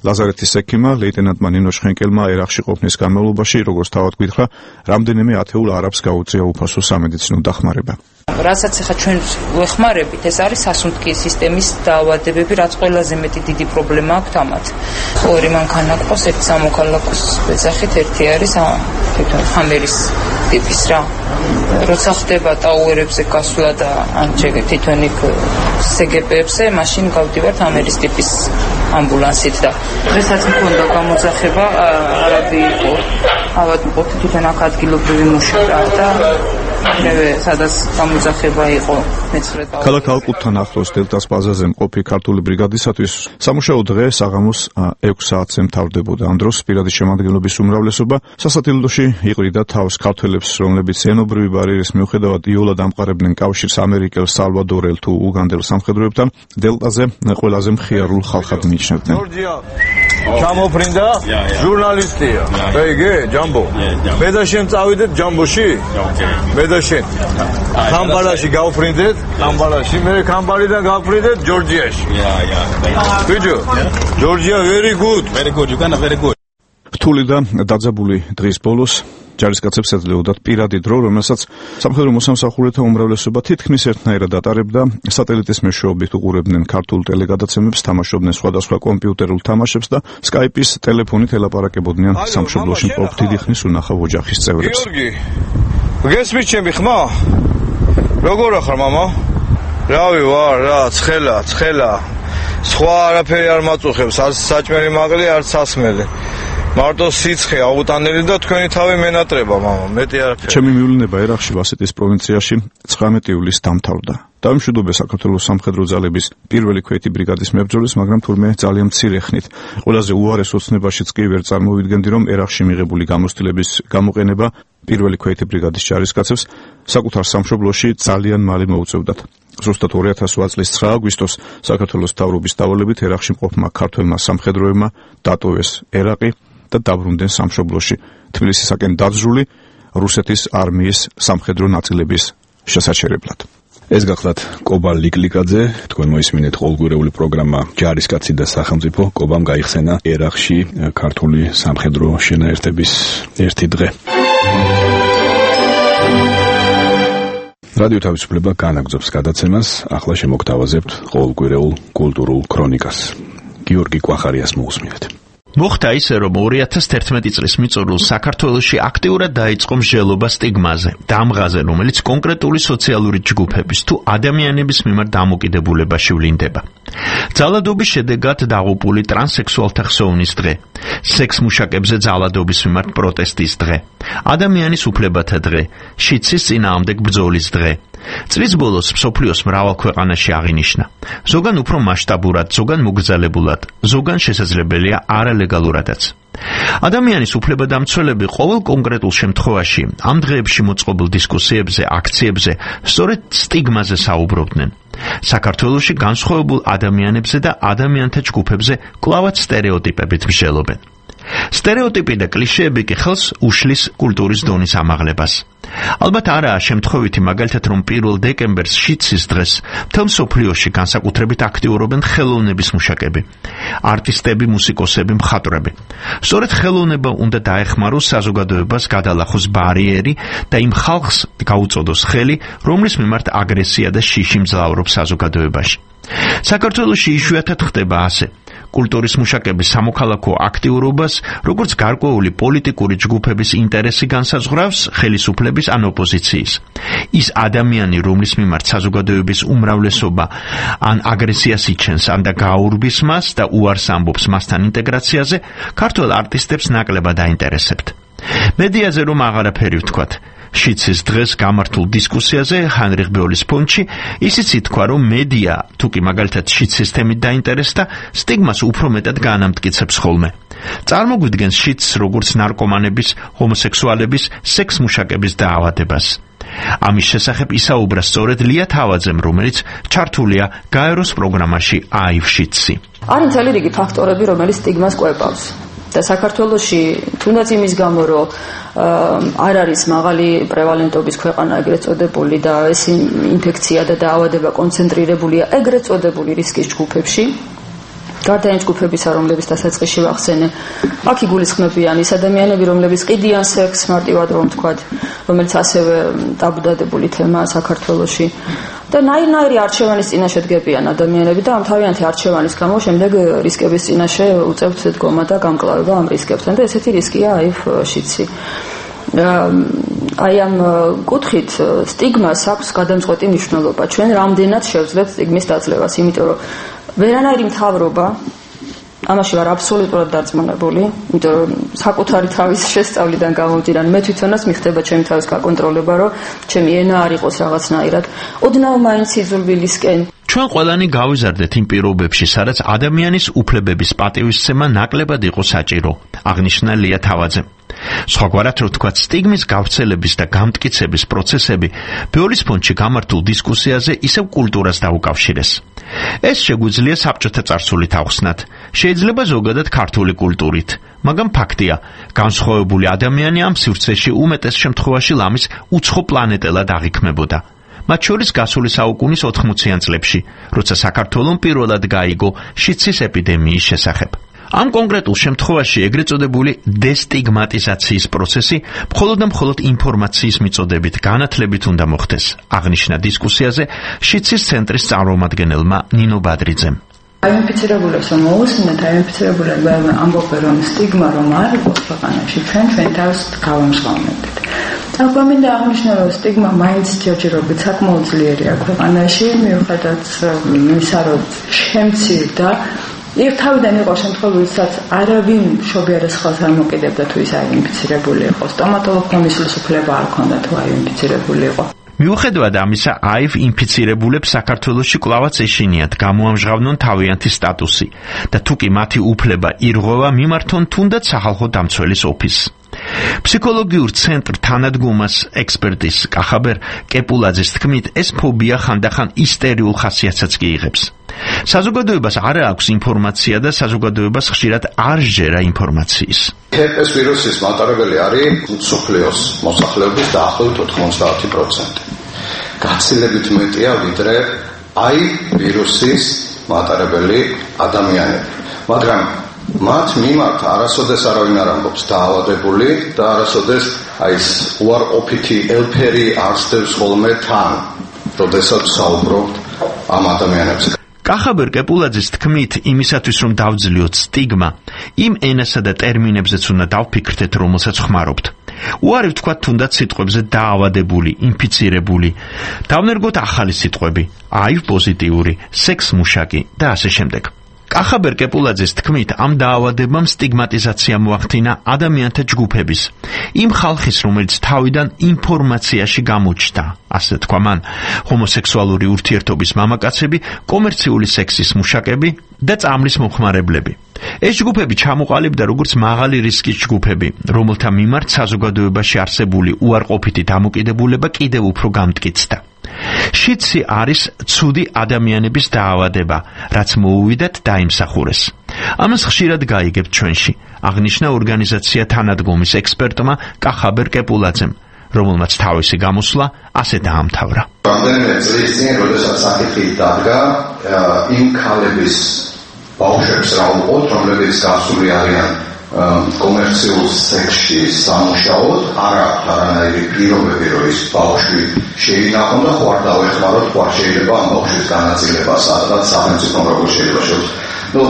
[SPEAKER 8] ლაზარეთის ექიმა ლეიტენანტმა ნინო ჩხენკელმა ერაყში ყოფნის განმავლობაში, როგორც თავად გითხრა, რამდენიმე ათეულ არაბს გაუწია უფასო სამედიცინო დახმარება.
[SPEAKER 10] რასაც ახლა ჩვენ ვეხმარებით, ეს არის სასუნთქი სისტემის დაავადებები, რაც ყველაზე მეტი დიდი პრობლემა აქვს ამათ. ორი მანქანა ყავს, ერთი სამოქალაქოს ბეძახით, ერთი არის თვითონ ჰამერის ტიპის რა. როცა ხდება ტაუერებზე გასვლა და ან თვითონ იქ სეგეპებზე, მაშინ გავდივართ ჰამერის ტიპის ამბულანსით და დღესაც მქონდა გამოძახება, არაბი იყო, ავადმყოფი თვითონ აქ ადგილობრივი მუშაკა და მერე სადაც გამოძახება იყო მეცხრე ტაუერი.
[SPEAKER 8] ქალაქ ალკუტთან ახლოს დელტას ბაზაზე მყოფი ქართული ბრიგადისათვის სამუშაო დღე საღამოს ექვს საათზე მთავრდებოდა. ამ დროს პირადი შემადგენლობის უმრავლესობა სასათილდოში იყრიდა თავს ქართველებს, რომლებიც ენობრივი ბარიერის მიუხედავად იოლად ამყარებდნენ კავშირს ამერიკელ, სალვადორელ თუ უგანდელ სამხედროებთან, დელტაზე ყველაზე მხიარულ ხალხად მიიჩნევდნენ.
[SPEAKER 11] ჩამოფრინდა ჟურნალისტია. ეგე ჯამბო. მე და შენ წავიდეთ ჯამბოში? მე და შენ. კამბალაში გავფრინდეთ, კამბალაში, მე კამბალიდან გავფრინდეთ ჯორჯიაში. Yeah, yeah. ბიჭო, ჯორჯია very good.
[SPEAKER 9] Very good. You can very good.
[SPEAKER 8] რთული და დაძაბული დღის ბოლოს ჯარისკაცებს ეძლეოდათ პირადი დრო, რომელსაც სამხედრო მოსამსახურეთა უმრავლესობა თითქმის ერთნაირად ატარებდა. სატელიტის მეშვეობით უყურებდნენ ქართულ ტელეგადაცემებს, თამაშობდნენ სხვადასხვა კომპიუტერულ თამაშებს და სკაიპის ტელეფონით ელაპარაკებოდნენ სამშობლოში მყოფ დიდი ხნის უნახავ ოჯახის წევრებს.
[SPEAKER 11] გიორგი, გესმის ჩემი ხმა? როგორ ახარ მამა? რავი ვარ, რა, ცხელა, ცხელა. სხვა არაფერი არ მაწუხებს, არც საჭმელი მაყლი, არც სასმელი. მარტო სიცხე აუტანელი და თქვენი თავი მენატრება მამა, მეტი არაფერი.
[SPEAKER 8] ჩემი მივლინება ერაყში ვასეტის პროვინციაში ცხრამეტი ივლისს დამთავრდა. დავიმშვიდობე საქართველოს სამხედრო ძალების პირველი ქვეითი ბრიგადის მებრძოლის, მაგრამ თურმე ძალიან მცირე ხნით. ყველაზე უარეს ოცნებაშიც კი ვერ წარმოვიდგენდი, რომ ერაყში მიღებული გამოცდილების გამოყენება პირველი ქვეითი ბრიგადის ჯარისკაცებს საკუთარ სამშობლოში ძალიან მალე მოუწევდათ. ზუსტად ორი ათას ოთხ წლის ცხრა აგვისტოს საქართველოს მთავრობის დავალებით ერაყში მყოფმა ქართველმა სამხედროებმა დატოვეს ერაყი და დაბრუნდნენ სამშობლოში თბილისისაკენ დაძრული რუსეთის არმიის სამხედრო ნაწილების შესაჩერებლად. ეს გახლავთ კობა ლიკლიკაძე, თქვენ მოისმინეთ ყოველგვარეული პროგრამა ჯარისკაცი და სახელმწიფო. კობამ გაიხსენა ერაყში ქართული სამხედრო შენაერთების ერთი დღე. რადიო თავისუფლება განაგრძობს გადაცემას, ახლა შემოგთავაზებთ ყოველკვირეულ კულტურულ ქრონიკას. გიორგი კვახარიას მოусმინეთ.
[SPEAKER 4] მოხდა ისე, რომ ორი ათას ერთმეტი წლის მიწურულს საქართველოში აქტიურად დაიწყო მსჯელობა სტიგმაზე, დამღაზე, რომელიც კონკრეტული სოციალური ჯგუფების თუ ადამიანების მიმართ დამოკიდებულებაში ვლინდება. ძალადობის შედეგად დაღუპული ტრანსექსუალთა ხსოვნის დღე, სექსმუშაკებზე ძალადობის მიმართ პროტესტის დღე, ადამიანის უფლებათა დღე, შიცის წინააღმდეგ ბრძოლის დღე. წლის ბოლოს მსოფლიოს მრავალ ქვეყანაში აღინიშნა. ზოგან უფრო მასშტაბურად, ზოგან მოგრძალებულად, ზოგან შესაძლებელია არალეგალურადაც. ადამიანის უფლებადამცველები ყოველ კონკრეტულ შემთხვევაში ამ დღეებში მოწყობილ დისკუსიებზე, აქციებზე სწორედ სტიგმაზე საუბრობდნენ. საქართველოში განსხვავებულ ადამიანებზე და ადამიანთა ჯგუფებზე კლავაც სტერეოტიპებით მსჯელობენ. სტერეოტიპი და კლიშეები კი ხელს უშლის კულტურის დონის ამაღლებას. ალბათ არაა შემთხვევითი მაგალითად, რომ პირველ დეკემბერს შიცის დღეს მთელ მსოფლიოში განსაკუთრებით აქტიურობენ ხელოვნების მუშაკები, არტისტები, მუსიკოსები, მხატვრები. სწორედ ხელოვნება უნდა დაეხმაროს საზოგადოებას, გადალახოს ბარიერი და იმ ხალხს გაუწოდოს ხელი, რომლის მიმართ აგრესია და შიში მძლავრობს საზოგადოებაში. საქართველოში იშვიათად ხდება ასე. კულტურის მუშაკების სამოქალაქო აქტიურობას, როგორც გარკვეული პოლიტიკური ჯგუფების ინტერესი განსაზღვრავს ხელისუფლების ან ოპოზიციის. ის ადამიანი, რომლის მიმართ საზოგადოების უმრავლესობა ან აგრესიას იჩენს, ან და გაურბის მას და უარს ამბობს მასთან ინტეგრაციაზე, ქართველ არტისტებს ნაკლებად აინტერესებთ. მედიაზე რომ აღარაფერი ვთქვათ. შიცის დღეს გამართულ დისკუსიაზე ჰანრიხ ბეოლის ფონდში ისიც ითქვა, რომ მედია თუ კი მაგალითად შიცის თემით დაინტერესდა, სტიგმას უფრო მეტად განამტკიცებს ხოლმე. წარმოგვიდგენს შიცს როგორც ნარკომანების, ჰომოსექსუალების, სექსმუშაკების დაავადებას. ამის შესახებ ისაუბრა სწორედ ლია თავაძემ, რომელიც ჩართულია გაეროს პროგრამაში აივ შიცი.
[SPEAKER 12] არის მთელი რიგი ფაქტორები, რომელიც სტიგმას კვებავს. და საქართველოში თუნდაც იმის გამო, რომ არ არის მაღალი პრევალენტობის ქვეყანა ეგრეთ წოდებული და ეს ინფექცია და დაავადება კონცენტრირებულია ეგრეთ წოდებული რისკის ჯგუფებში, გარდა იმ ჯგუფებისა, რომლებიც დასაწყისში ვახსენე, აქ იგულისხმებიან ის ადამიანები, რომლებიც ყიდიან სექსს, მარტივად რომ ვთქვათ, რომელიც ასევე ტაბუდადებული თემაა საქართველოში. და ნაირ-ნაირი არჩევანის წინაშე დგებიან ადამიანები და ამ თავიანთი არჩევანის გამო შემდეგ რისკების წინაშე უწევთ დგომა და გამკლავება ამ რისკებთან და ესეთი რისკია აივ შიცი. აი ამ კუთხით სტიგმას აქვს გადამწყვეტი მნიშვნელობა. ჩვენ რამდენად შევძლებთ სტიგმის დაძლევას, იმიტომ რომ ვერანაირი მთავრობა ამაში ვარ აბსოლუტურად დარწმუნებული, იმიტომ რომ საკუთარი თავის შესწავლიდან გამომდინარე, მე თვითონაც მიხდება ჩემი თავის გაკონტროლება, რომ ჩემი ენა არ იყოს რაღაცნაირად. ოდნავ მაინც იზრვილისკენ.
[SPEAKER 4] ჩვენ ყველანი გავიზარდეთ იმ პირობებში, სადაც ადამიანის უფლებების პატივისცემა ნაკლებად იყო საჭირო, აღნიშნა ლია თავაძემ. სხვაგვარად რო ვთქვათ, სტიგმის გავრცელების და გამტკიცების პროცესები ბეოლის ფონდში გამართულ დისკუსიაზე ისევ კულტურას დაუკავშირეს. ეს შეგვიძლია საბჭოთა წარსულით ახსნათ, შეიძლება ზოგადად ქართული კულტურით, მაგრამ ფაქტია, განსხვავებული ადამიანი ამ სივრცეში უმეტეს შემთხვევაში ლამის უცხო პლანეტელად აღიქმებოდა. მათ შორის გასული საუკუნის ოთხმოციან წლებში, როცა საქართველოს პირველად გაიგო შიცის ეპიდემიის შესახებ. ამ კონკრეტულ შემთხვევაში ეგრეთ წოდებული დესტიგმატიზაციის პროცესი მხოლოდ და მხოლოდ ინფორმაციის მიწოდებით განათლებით უნდა მოხდეს, აღნიშნა დისკუსიაზე შიცის ცენტრის წარმომადგენელმა ნინო ბადრიძემ.
[SPEAKER 13] აინფიცირებულებს რომ მოусმინეთ, აინფიცირებულები ამბობენ, რომ სტიგმა რომ არ იყოს ქვეყანაში, ჩვენ ჩვენ თავს გავამჟღავნებთ. ახლა მინდა აღნიშნო, რომ სტიგმა მაინც ჯერჯერობით საკმაოდ ძლიერია ქვეყანაში, მიუხედავად იმისა, რომ შემცირდა. იქ თავიდან იყო შემთხვევები, სადაც არავინ მშობიარეს ხელს არ მოკიდებდა თუ ის აინფიცირებული იყო. სტომატოლოგმა მისვლის უფლება არ ჰქონდა თუ აინფიცირებული იყო.
[SPEAKER 4] მიუხედავად ამისა, აივ ინფიცირებულებს საქართველოში კვლავაც ეშინიათ გამოამჟღავნონ თავიანთი სტატუსი და თუ კი მათი უფლება ირღვევა, მიმართონ თუნდაც სახალხო დამცველის ოფისს. ფსიქოლოგიურ ცენტრ თანადგომას ექსპერტის კახაბერ კეპულაძის თქმით, ეს ფობია ხანდახან ისტერიულ ხასიათსაც კი იღებს. საზოგადოებას არ აქვს ინფორმაცია და საზოგადოებას ხშირად არ სჯერა ინფორმაციის.
[SPEAKER 9] ჰერპეს ვირუსის მატარებელი არის მსოფლიოს მოსახლეობის დაახლოებით ოთხმოცდაათი პროცენტი. გაცილებით მეტია ვიდრე აი ვირუსის მატარებელი ადამიანები. მაგრამ მათ მიმართ არასოდეს არავინ არ ამბობს დაავადებული და არასოდეს აი ეს უარყოფითი ელფერი არსდევს ხოლმე თან, როდესაც საუბრობთ ამ ადამიანებზე.
[SPEAKER 4] კახაბერ კეპულაძის თქმით, იმისათვის რომ დავძლიოთ სტიგმა, იმ ენასა და ტერმინებზეც უნდა დავფიქრდეთ, რომელსაც ხმარობთ. უარი ვთქვათ თუნდაც სიტყვებზე დაავადებული, ინფიცირებული. დავნერგოთ ახალი სიტყვები, აივ პოზიტიური, სექს მუშაკი და ასე შემდეგ. კახაბერ კეპულაძის თქმით, ამ დაავადებამ სტიგმატიზაცია მოახდინა ადამიანთა ჯგუფების, იმ ხალხის, რომელიც თავიდან ინფორმაციაში გამოჩნდა, ასე თქვა მან, ჰომოსექსუალური ურთიერთობის მამაკაცები, კომერციული სექსის მუშაკები და წამლის მომხმარებლები. ეს ჯგუფები ჩამოყალიბდა როგორც მაღალი რისკის ჯგუფები, რომელთა მიმართ საზოგადოებაში არსებული უარყოფითი დამოკიდებულება კიდევ უფრო გამტკიცდა. შიდსი არის ცუდი ადამიანების დაავადება, რაც მოუვიდათ დაიმსახურეს. ამას ხშირად გაიგებთ ჩვენში, აღნიშნა ორგანიზაცია თანადგომის ექსპერტმა კახაბერ კეპულაძემ, რომელმაც თავისი გამოსვლა ასე დაამთავრა.
[SPEAKER 9] რამდენიმე წლის წინ, როდესაც საკითხი დადგა, იმ ქალების ბავშვებს რა უყოთ, რომლებიც გასული არიან კომერციულ სექსში სამუშაოდ, არ აქვს არანაირი პირობები, რომ ის ბავშვი შეინახონ და ხო არ დავეხმაროთ, ხო არ შეიძლება ამ ბავშვის განაწილება, სადღაც სახელმწიფომ როგორ შეიძლება შევს. ნუ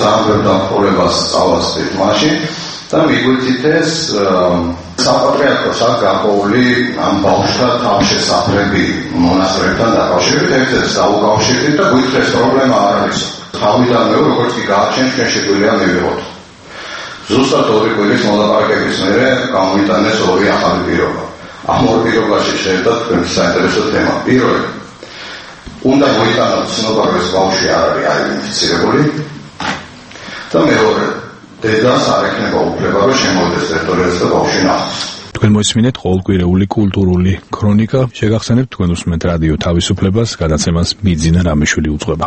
[SPEAKER 9] ძალიან ბევრ დამხმარებას წავასწრით მაშინ და მიგვიწით ეს საპატრიარქოს აქ გარკვეული ამ ბავშვთა თავშესაფრები მონასტრებთან დაკავშირებით, ერთ-ერთს დაუკავშირდით და გვითხეს პრობლემა არ არის. თავიდანვე როგორც კი გააჩენთ, ჩვენ შეგვიძლია მივიღოთ. ზუსტად ორი კვირის მოლაპარაკების მერე გამოვიტანეს ორი ახალი პირობა. ამ ორ პირობაში შეერთდა თქვენი საინტერესო თემა. პირველი, უნდა მოიტანოთ ცნობა, რომ ეს ბავშვი არ არის აი ინფიცირებული და მეორე, დედას არ ექნება უფლება, რომ შემოვიდეს ტერიტორიაზე და ბავშვი ნახოს.
[SPEAKER 1] თქვენ მოისმინეთ ყოველკვირეული კულტურული ქრონიკა, შეგახსენებთ თქვენ უსმენთ რადიო თავისუფლებას, გადაცემას მიძინა რამიშვილი უძღვება.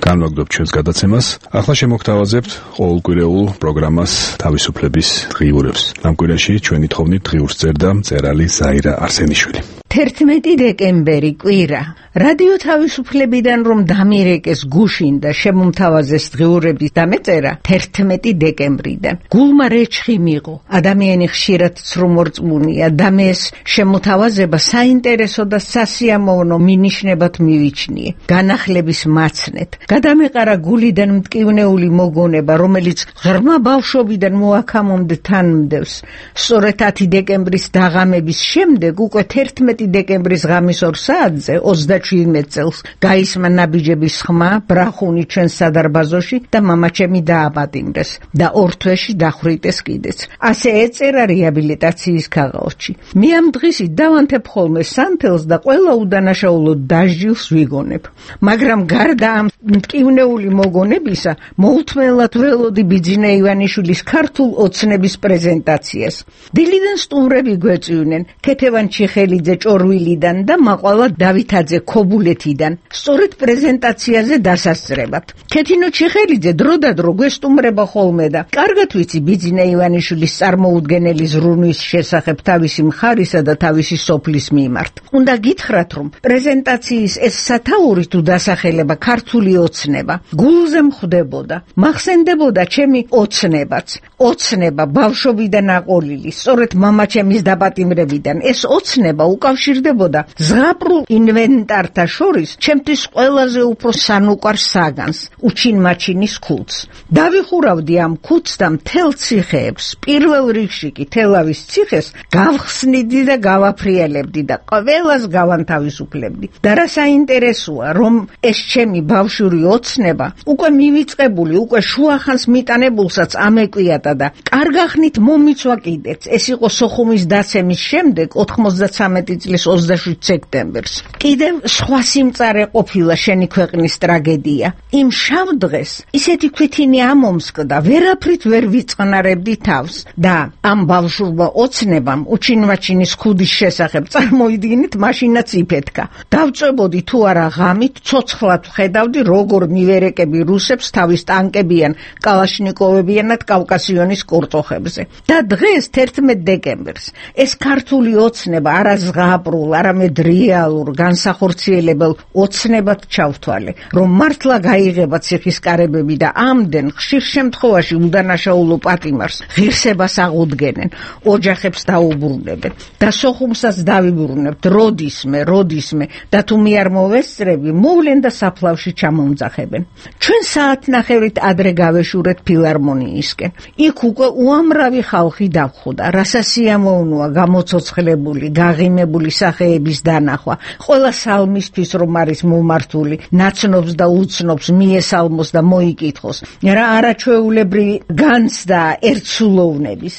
[SPEAKER 1] განვაგდობთ ჩვენს გადაცემას. ახლა შემოგთავაზებთ ყოველკვირეულ პროგრამას თავისუფლების დღიურებს. ამ კვირაში ჩვენი თხოვნით დღიურს წერდა მწერალი ზაირა არსენიშვილი.
[SPEAKER 14] თერთმეტი დეკემბერი კვირა. რადიო თავისუფლებიდან რომ დამირეკეს გუშინ და შემომთავაზეს დღიურების დამეწერა თერთმეტი დეკემბრიდან. გულმა რეჩხი მიღო. ადამიანი ხშირად ცრუმორწმუნია და მეს შემოთავაზება საინტერესო და სასიამოვნო მინიშნებად მივიჩნიე. განახლების მაცნეთ. გადამეყარა გულიდან მტკივნეული მოგონება, რომელიც ღრმა ბავშვობიდან მოაქამომდე თან მდევს. სწორედ ათი დეკემბრის დაღამების შემდეგ უკვე თერთმეტი დეკემბრის ღამის ორ საათზე ოცდაშვიდმეტ წელს გაისმა ნაბიჯების ხმა ბრახუნი ჩვენს სადარბაზოში და მამაჩემი დააპატიმრეს და ორ თვეში დახვრიტეს კიდეც. ასე ეწერა რეაბილიტაციის ქაღალდში. მე ამ დღისით დავანთებ ხოლმე სანთელს და ყველა უდანაშაულო დასჯილს ვიგონებ. მაგრამ გარდა ამ მტკივნეული მოგონებისა, მოუთმენლად ველოდი ბიძინა ივანიშვილის ქართულ ოცნების პრეზენტაციას. დილიდან სტუმრები გვეწვიდნენ, ქეთევან ჩიხელიძე ჭორვილიდან და მაყვალა დავითაძე ქობულეთიდან, სწორედ პრეზენტაციაზე დასასწრებად. ქეთინო ჩიხელიძე დროდადრო გვესტუმრება ხოლმე და კარგად ვიცი ბიძინა ივანიშვილის წარმოუდგენელი ზრუნვის შესახებ თავისი მხარისა და თავისი სოფლის მიმართ. უნდა გითხრათ, რომ პრეზენტაციის ეს სათაური თუ დასახელება ქართული ოცნება გულზე მხვდებოდა. მახსენდებოდა ჩემი ოცნებაც. ოცნება ბავშვობიდან აყოლილი, სწორედ მამაჩემის დაპატიმრებიდან. ეს ოცნება უკავშირდებოდა ზღაპრულ ინვენტართა შორის ჩემთვის ყველაზე უფრო სანუკვარ საგანს, უჩინმაჩინის ქუდს. დავიხურავდი ამ ქუდს და მთელ ციხეებს, პირველ რიგში კი თელავის ციხეს გავხსნიდი და გავაფრიალებდი და ყველას გავანთავისუფლებდი. და რა საინტერესოა, რომ ეს ჩემი ბავშვური ოცნება უკვე მივიწყებული, უკვე შუახანს მიტანებულსაც ამეკვიატა და კარგახნით მომიცვა კიდეც. ეს იყო სოხუმის დაცემის შემდეგ ოთხმოცდათრამეტი წლის ოცდაშვიდ სექტემბერს. კიდევ სხვა სიმწარე ყოფილა შენი ქვეყნის ტრაგედია. იმ შავ დღეს ისეთი ქვითინი ამომსკდა, ვერაფრით ვერ ვიწყნარებდი თავს და ამ ბავშვურმა ოცნებამ უჩინვაჩინის ხუდის შესახებ წარმოიდგინეთ, მაშინაც იფეთქა. დავწვებოდი თუ არა ღამით, ცოცხლად ვხედავდი, როგორ მივერეკები რუსებს თავის ტანკებიან, კალაშნიკოვებიანად კავკასიონის კურტოხებზე. და დღეს თერთმეტ დეკემბერს ეს ქართული ოცნება არა ზღაპრულ, არამედ რეალურ, განსახორციელებელ ოცნებად ჩავთვალე, რომ მართლა გაიღება ციხისკარებები და ამდენ ხშირ შემთხვევაში უდანაშაულო პატიმარს ღირსებას აღუდგენენ, ოჯახებს დაუბრუნებენ და სოხუმსაც დავიბრუნებთ როდისმე, როდისმე და თუ მე არ მოვესწრები, მოვლენ და საფლავში ჩამომძახებენ. ჩვენ საათნახევრით ადრე გავეშურეთ ფილარმონიისკენ. იქ უკვე უამრავი ხალხი დავხვდა, რასასიამოვნოა გამოცოცხლებული, გაღიმებული სახეების დანახვა. ყველა სალმისთვის რომ არის მომართული, ნაცნობს და უცნობს მიესალმოს და მოიკითხოს, რა არაჩვეულებრივი განცდა ერთსულოვნების.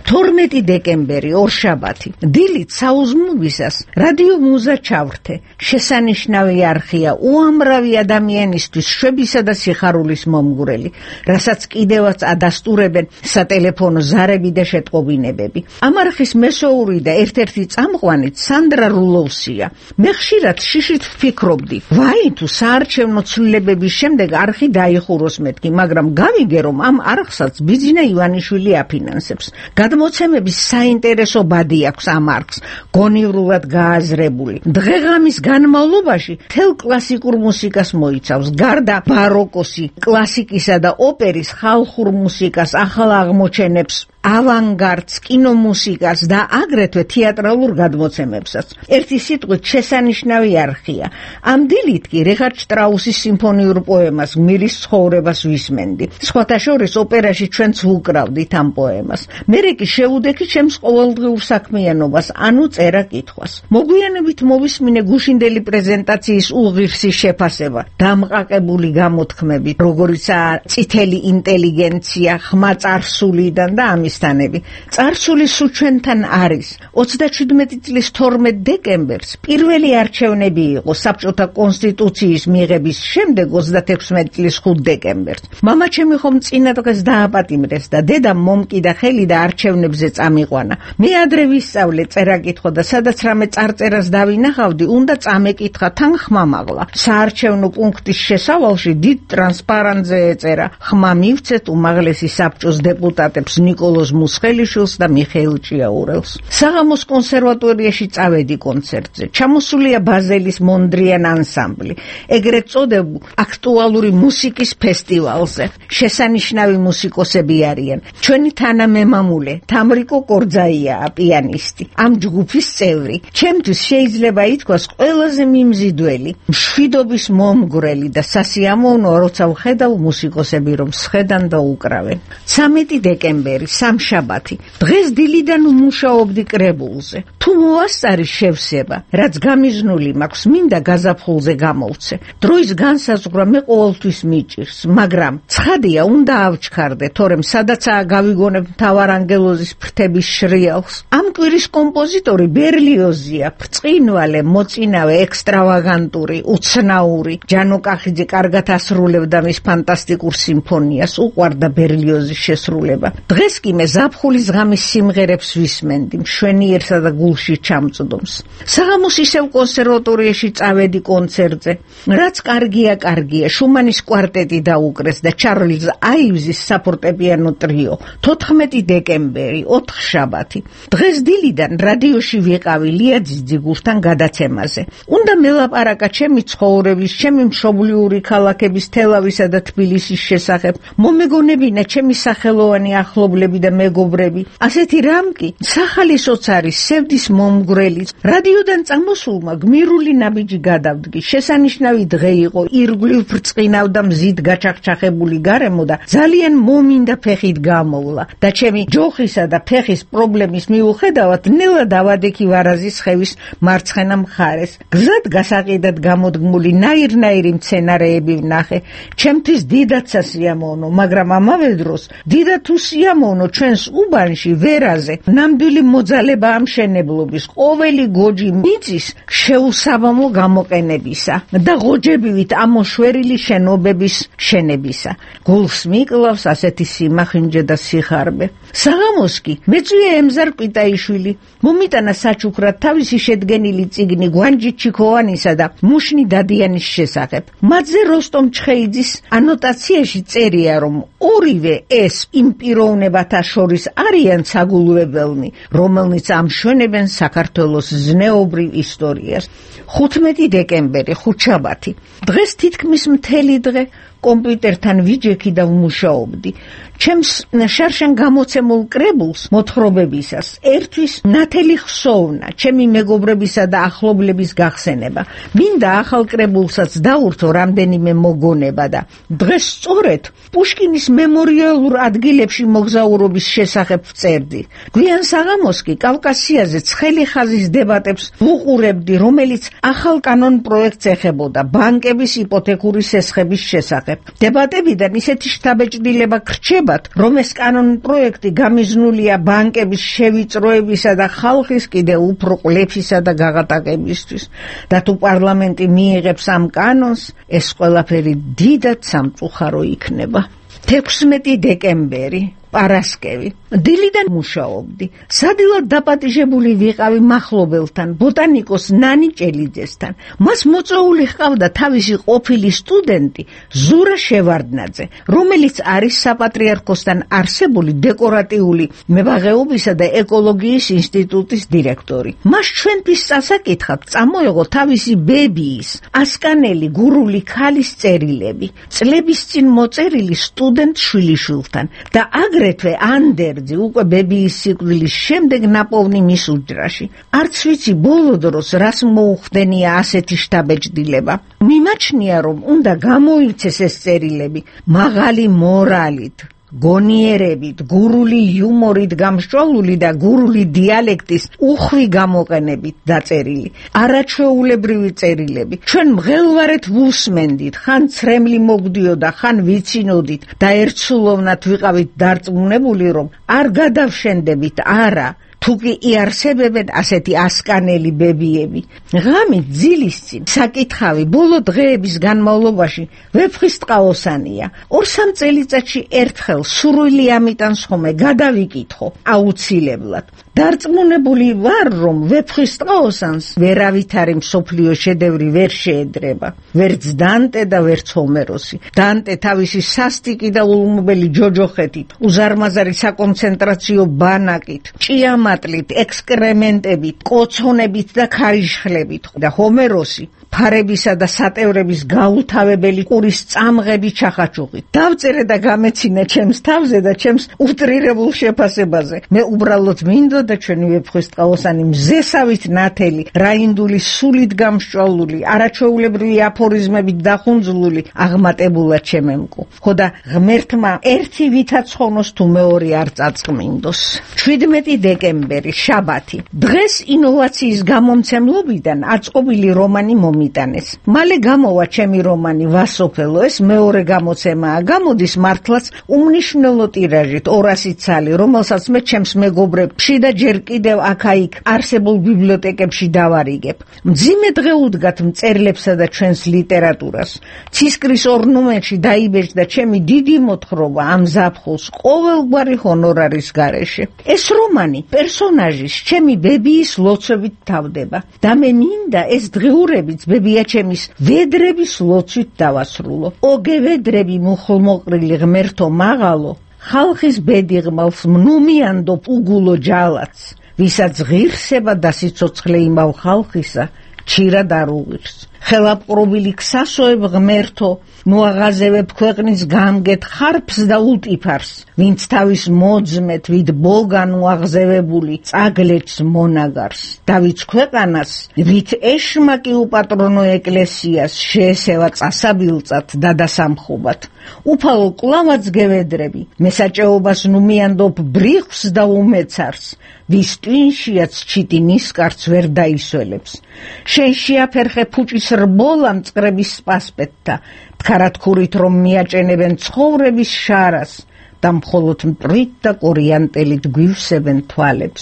[SPEAKER 14] თორმეტი დეკემბერი, ორშაბათი. დილით საუზმნობისას რადიო მუზა ჩავრთე. შესანიშნავი არხია უამრავი ადამიანისთვის შვებისა და სიხარულის მომგვრელი, რასაც კიდევაც ადასტურებენ სატელეფონო ზარები და შეტყობინებები. ამ არხის მესოური და ერთ-ერთი წამყვანით სანდრა რულოვსია. მე ხშირად შიშით ვფიქრობდი, ვაი თუ საარჩევნო ცვლილებების შემდეგ არხი დაიხუროს მეთქი, მაგრამ გავიგე რომ ამ არხსაც ბიძინა ივანიშვილი აფინანსებს. გადმოცემების საინტერესო ბადი აქვს ამ არხს, გონივრულად გააზრებული. დღეღამის განმავლობაში თელ კლასიკურ მუსიკას მოიცავს, გარდა ბაროკოსი, კლასიკისა და ოპერის, ხალხურ მუსიკას, ახალ აღმოჩენებს, ავანგარდს, კინომუსიკას და აგრეთვე თეატრალურ გადმოცემებსაც. ერთი სიტყვით შესანიშნავი არხია. ამ დილით კი რიხარდ შტრაუსის სიმფონიურ პოემას გმირის ცხოვრებას ვისმენდი. სხვათა შორის ოპერაში ჩვენც ვუკრავდით ამ პოემას. მერე კი შევუდექი ჩემს ყოველდღიურ საქმიანობას, ანუ წერა-კითხვას. მოგვიანებით მოვისმინე გუშინდელი პრეზენტაციის უღირსი შეფასება, დამყაკებული გამოთქმებით, როგორიცაა წითელი ინტელიგენცია, ხმა წარსულიდან და ამის წარსული სულ ჩვენთან არის. ოცდაჩვიდმეტი წლის თორმეტ დეკემბერს პირველი არჩევნები იყო საბჭოთა კონსტიტუციის მიღების შემდეგ ოცდათექვსმეტი წლის ხუთ დეკემბერს. მამაჩემი ხომ წინა დღეს დააპატიმრეს და დედამ მომკიდა ხელი და არჩევნებზე წამიყვანა. მე ადრე ვისწავლე წერა-კითხვა და სადაც რამე წარწერას დავინახავდი, უნდა წამეკითხა თან ხმა მაღლა. საარჩევნო პუნქტის შესავალში დიდ ტრანსპარანტზე ეწერა: ხმა მივცეთ უმაღლესი საბჭოს დეპუტატებს ნიკოლოზ მუსხელიშვილს და მიხეილ ჭიაურელს. საღამოს კონსერვატორიაში წავედი კონცერტზე. ჩამოსულია ბაზელის მონდრიან ანსამბლი, ეგრეთ წოდებულ აქტუალური მუსიკის ფესტივალზე. შესანიშნავი მუსიკოსები არიან. ჩვენი თანამემამულე თამრიკო კორძაიაა პიანისტი, ამ ჯგუფის წევრი. ჩემთვის შეიძლება ითქვას ყველაზე მიმზიდველი, მშვიდობის მომგვრელი და სასიამოვნოა, როცა ვხედავ მუსიკოსები რომ სხედან და უკრავენ. ცამეტი დეკემბერი, სამშაბათი. დღეს დილიდან ვმუშაობდი კრებულზე. თუ მოასწარი შევსება, რაც გამიზნული მაქვს, მინდა გაზაფხულზე გამოვცე. დროის განსაზღვრა მე ყოველთვის მიჭირს, მაგრამ ცხადია, უნდა ავჩქარდე, თორემ სადაცაა გავიგონებ მთავარანგელოზის ფრთების შრიალს. ამ კვირის კომპოზიტორი ბერლიოზია, ბრწყინვალე, მოწინავე, ექსტრავაგანტური, უცნაური. ჯანო კახიძე კარგად ასრულებდა მის ფანტასტიკურ სიმფონიას, უყვარდა ბერლიოზის შესრულება. დღეს კი მე ზაფხულის ღამის სიმღერებს ვისმენდი, მშვენიერსა და გულში ჩამწდომს. საღამოს ისევ კონსერვატორიაში წავედი კონცერტზე. რაც კარგია, კარგია, შუმანის კვარტეტი დაუკრეს და ჩარლზ აივზის საფორტეპიანო ტრიო. თოთხმეტი დეკემბერი, ოთხშაბათი. დღეს დილიდან რადიოში ვიყავი ლიაძის ძიგურთან გადაცემაზე. უნდა მელაპარაკა ჩემი ცხოვრების, ჩემი მშობლიური ქალაქების თელავისა და თბილისის შესახებ. მომეგონებინა ჩემი სახელოვანი ახლობლები და და მეგობრები. ასეთი რამ კი სახალისოც არის სევდის მომგვრელი. რადიოდან წამოსულმა გმირული ნაბიჯი გადავდგი. შესანიშნავი დღე იყო, ირგვლივ ბრწყინავ და მზით გაჩახჩახებული გარემო და ძალიან მომინდა ფეხით გამოვლა და ჩემი ჯოხისა და ფეხის პრობლემის მიუხედავად ნელა დავადექი ვარაზის ხევის მარცხენა მხარეს. გზად გასაყიდად გამოდგმული ნაირ-ნაირი მცენარეები ვნახე. ჩემთვის დიდად სასიამოვნო, მაგრამ ამავე დროს დიდად უსიამოვნო ჩვენს უბანში ვერაზე ნამდვილი მოძალება ამშენებლობის ყოველი გოჯი მიწის შეუსაბამო გამოყენებისა და ღოჯებივით ამოშვერილი შენობების შენებისა. გულს მიკლავს ასეთი სიმახინჯე და სიხარბე. საღამოს კი მეწვია ემზარ კვიტაიშვილი მომიტანა საჩუქრად თავისი შედგენილი წიგნი გვანჯი ჩიქოვანისა და მუშნი დადიანის შესახებ. მათზე როსტომ ჩხეიძის ანოტაციაში წერია, რომ ორივე ეს იმ პიროვნებათა შორის არიან საგულვებელნი, რომელნიც ამშვენებენ საქართველოს ზნეობრივ ისტორიას. ხუთმეტი დეკემბერი, ხუთშაბათი. დღეს თითქმის მთელი დღე კომპიუტერთან ვიჯექი და ვმუშაობდი. ჩემს შარშან გამოცემულ კრებულს მოთხრობებისას ერთვის ნათელი ხსოვნა, ჩემი მეგობრებისა და ახლობლების გახსენება. მინდა ახალ კრებულსაც დაურთო რამდენიმე მოგონება და დღეს სწორედ პუშკინის მემორიალურ ადგილებში მოგზაურობის შესახებ ვწერდი. გვიან საღამოს კი კავკასიაზე ცხელი ხაზის დებატებს ვუყურებდი, რომელიც ახალ კანონ პროექტს ეხებოდა ბანკების იპოთეკური სესხების შესახებ. დებატებიდან ისეთი შთაბეჭდილება გრჩებათ, რომ ეს კანონ პროექტი გამიზნულია ბანკების შევიწროებისა და ხალხის კიდევ უფრო ყლეფისა და გაღატაკებისთვის. და თუ პარლამენტი მიიღებს ამ კანონს, ეს ყველაფერი დიდად სამწუხარო იქნება. თექვსმეტი დეკემბერი, პარასკევი. დილიდან მუშაობდი. სადილად დაპატიჟებული ვიყავი მახლობელთან, ბოტანიკოს ნანი ჭელიძესთან. მას მოწვეული ჰყავდა თავისი ყოფილი სტუდენტი ზურა შევარდნაძე, რომელიც არის საპატრიარქოსთან არსებული დეკორატიული მებაღეობისა და ეკოლოგიის ინსტიტუტის დირექტორი. მას ჩვენთვის წასაკითხად წამოეღო თავისი ბებიის, ასკანელი გურული ქალის წერილები, წლების წინ მოწერილი სტუდენტ შვილიშვილთან და აგრეთვე ანდერძი უკვე ბებიის სიკვდილის შემდეგ ნაპოვნი მის უჯრაში. არც ვიცი ბოლო დროს რას მოუხდენია ასეთი შთაბეჭდილება. მიმაჩნია, რომ უნდა გამოიცეს ეს წერილები მაღალი მორალით, გონიერებით, გურული იუმორით გამსჭვალული და გურული დიალექტის უხვი გამოყენებით დაწერილი. არაჩვეულებრივი წერილები. ჩვენ მღელვარეთ ვუსმენდით, ხან ცრემლი მოგდიოდა, ხან ვიცინოდით და ერთსულოვნად ვიყავით დარწმუნებული, რომ არ გადავშენდებით, არა. თუკი იარსებებენ ასეთი ასკანელი ბებიები. ღამით ძილის წინ საკითხავი ბოლო დღეების განმავლობაში ვეფხისტყაოსანია. ორ-სამ წელიწადში ერთხელ სურვილი ამიტანს ხომე გადავიკითხო აუცილებლად. დარწმუნებული ვარ, რომ ვეფხისტყაოსანს ვერავითარი მსოფლიო შედევრი ვერ შეედრება. ვერც დანტე და ვერც ჰომეროსი. დანტე თავისი სასტიკი და ულმობელი ჯოჯოხეთით, უზარმაზარი საკონცენტრაციო ბანაკით, ჭიამატლით, ექსკრემენტებით, კოცონებით და ქარიშხლებით და ჰომეროსი ფარებისა და სატევრების გაუთავებელი ყურის წამღები ჩახაჩუღით. დავწერე და გამეცინე ჩემს თავზე და ჩემს უტრირებულ შეფასებაზე. მე უბრალოდ მინდოდა ჩვენი ვეფხისტყაოსანი მზესავით ნათელი, რაინდული სულით გამსჭვალული, არაჩვეულებრივი აფორიზმებით დახუნძლული აღმატებულად შემემკო. ხო და ღმერთმა ერთი ვითაც ხონოს თუ მეორე არ წაწყმინდოს. შვიდმეტი დეკემბერი, შაბათი. დღეს ინოვაციის გამომცემლობიდან აწყობილი რომანი მომიტანეს. მალე გამოვა ჩემი რომანი ვასოფელო, ეს მეორე გამოცემაა. გამოდის მართლაც უმნიშვნელო ტირაჟით ორასი ცალი, რომელსაც მე ჩემს მეგობრებში და ჯერ კიდევ აქა-იქ არსებულ ბიბლიოთეკებში დავარიგებ. მძიმე დღე უდგათ მწერლებსა და ჩვენს ლიტერატურას. ცისკრის ორ ნომერში დაიბეჭდა ჩემი დიდი მოთხრობა ამ ზაფხულს ყოველგვარი ჰონორარის გარეშე. ეს რომანი პერსონაჟის ჩემი ბებიის ლოცვებით თავდება და მე მინდა ეს დღეურებიც ბებიაჩემის ვედრების ლოცვით დავასრულო. ოგე ვედრები მუხლმოყრილი ღმერთო მაღალო, ხალხის ბედი ღმალს მნუმიანდო უგულო ჯალაც, ვისაც ღირსება და სიცოცხლე იმავ ხალხისა, ჩირად არ უღირს. ხელაპყრობილი ქსასოებ ღმერთო, ნუაღაზევებ ქვეყნის გამგეთ ხარფს და ულტიფარს, ვინც თავის მოძმეთ ვით ბოგან უაღზევებული წაგლეთს მონაგარს, დავიც ქვეყანას ვით ეშმაკი უპატრონო ეკლესიას შეესევა წასაბილწად და დასამხობად, უფალო კლავაც გევედრები, მესაჭეობას ნუ მიანდობ ბრიხს და უმეცარს, ვის ტვინშიაც ჩიტი ნისკარც ვერ დაისველებს, შენ შეაფერხე ფუჭის რბოლა მწყრების სპასპეტთა, თხარათქურით რომ მიაჭენებენ ცხოვრების შარას და მხოლოდ მტრით და კორიანტელით გვივსებენ თვალებს.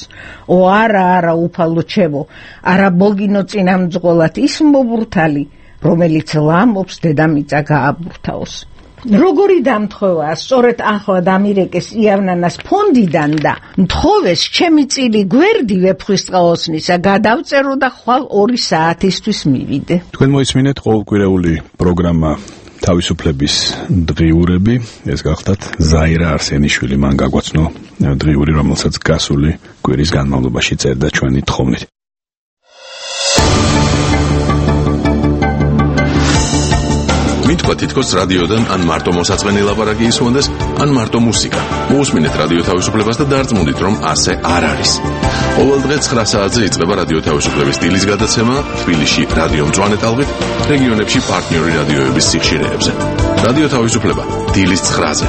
[SPEAKER 14] ო არა არა უფალო ჩემო, არა ბოგინო წინამძღოლად ის მობურთალი, რომელიც ლამობს დედამიწა გააბურთაოს. როგორი დამთხოვაა, სწორედ ახლა დამირეკეს იავნანას ფონდიდან და მთხოვეს ჩემი წილი გვერდი ვეფხვისწყალოსნისა გადავწერო და ხვალ ორი საათისთვის მივიდე.
[SPEAKER 1] თქვენ მოისმინეთ ყოველკვირეული პროგრამა თავისუფლების დღიურები, ეს გახდათ ზაირა არსენიშვილი, მან გაგვაცნო დღიური, რომელსაც გასული კვირის განმავლობაში წერდა ჩვენი თხოვნით.
[SPEAKER 15] მითქვა თითქოს რადიოდან ან მარტო მოსაწყენი ლაპარაკი ისმონდეს, ან მარტო მუსიკა. მოусმინეთ რადიო თავისუფლებას და დარწმუნდით, რომ ასე არ არის. ყოველ დღე ცხრა საათზე იწყება რადიო თავისუფლების სტილის გადაცემა თბილისში რადიო მწვანე ტალღით, რეგიონებში პარტნიორი რადიოების სიხშირეებზე. რადიო თავისუფლება დილის ცხრაზე.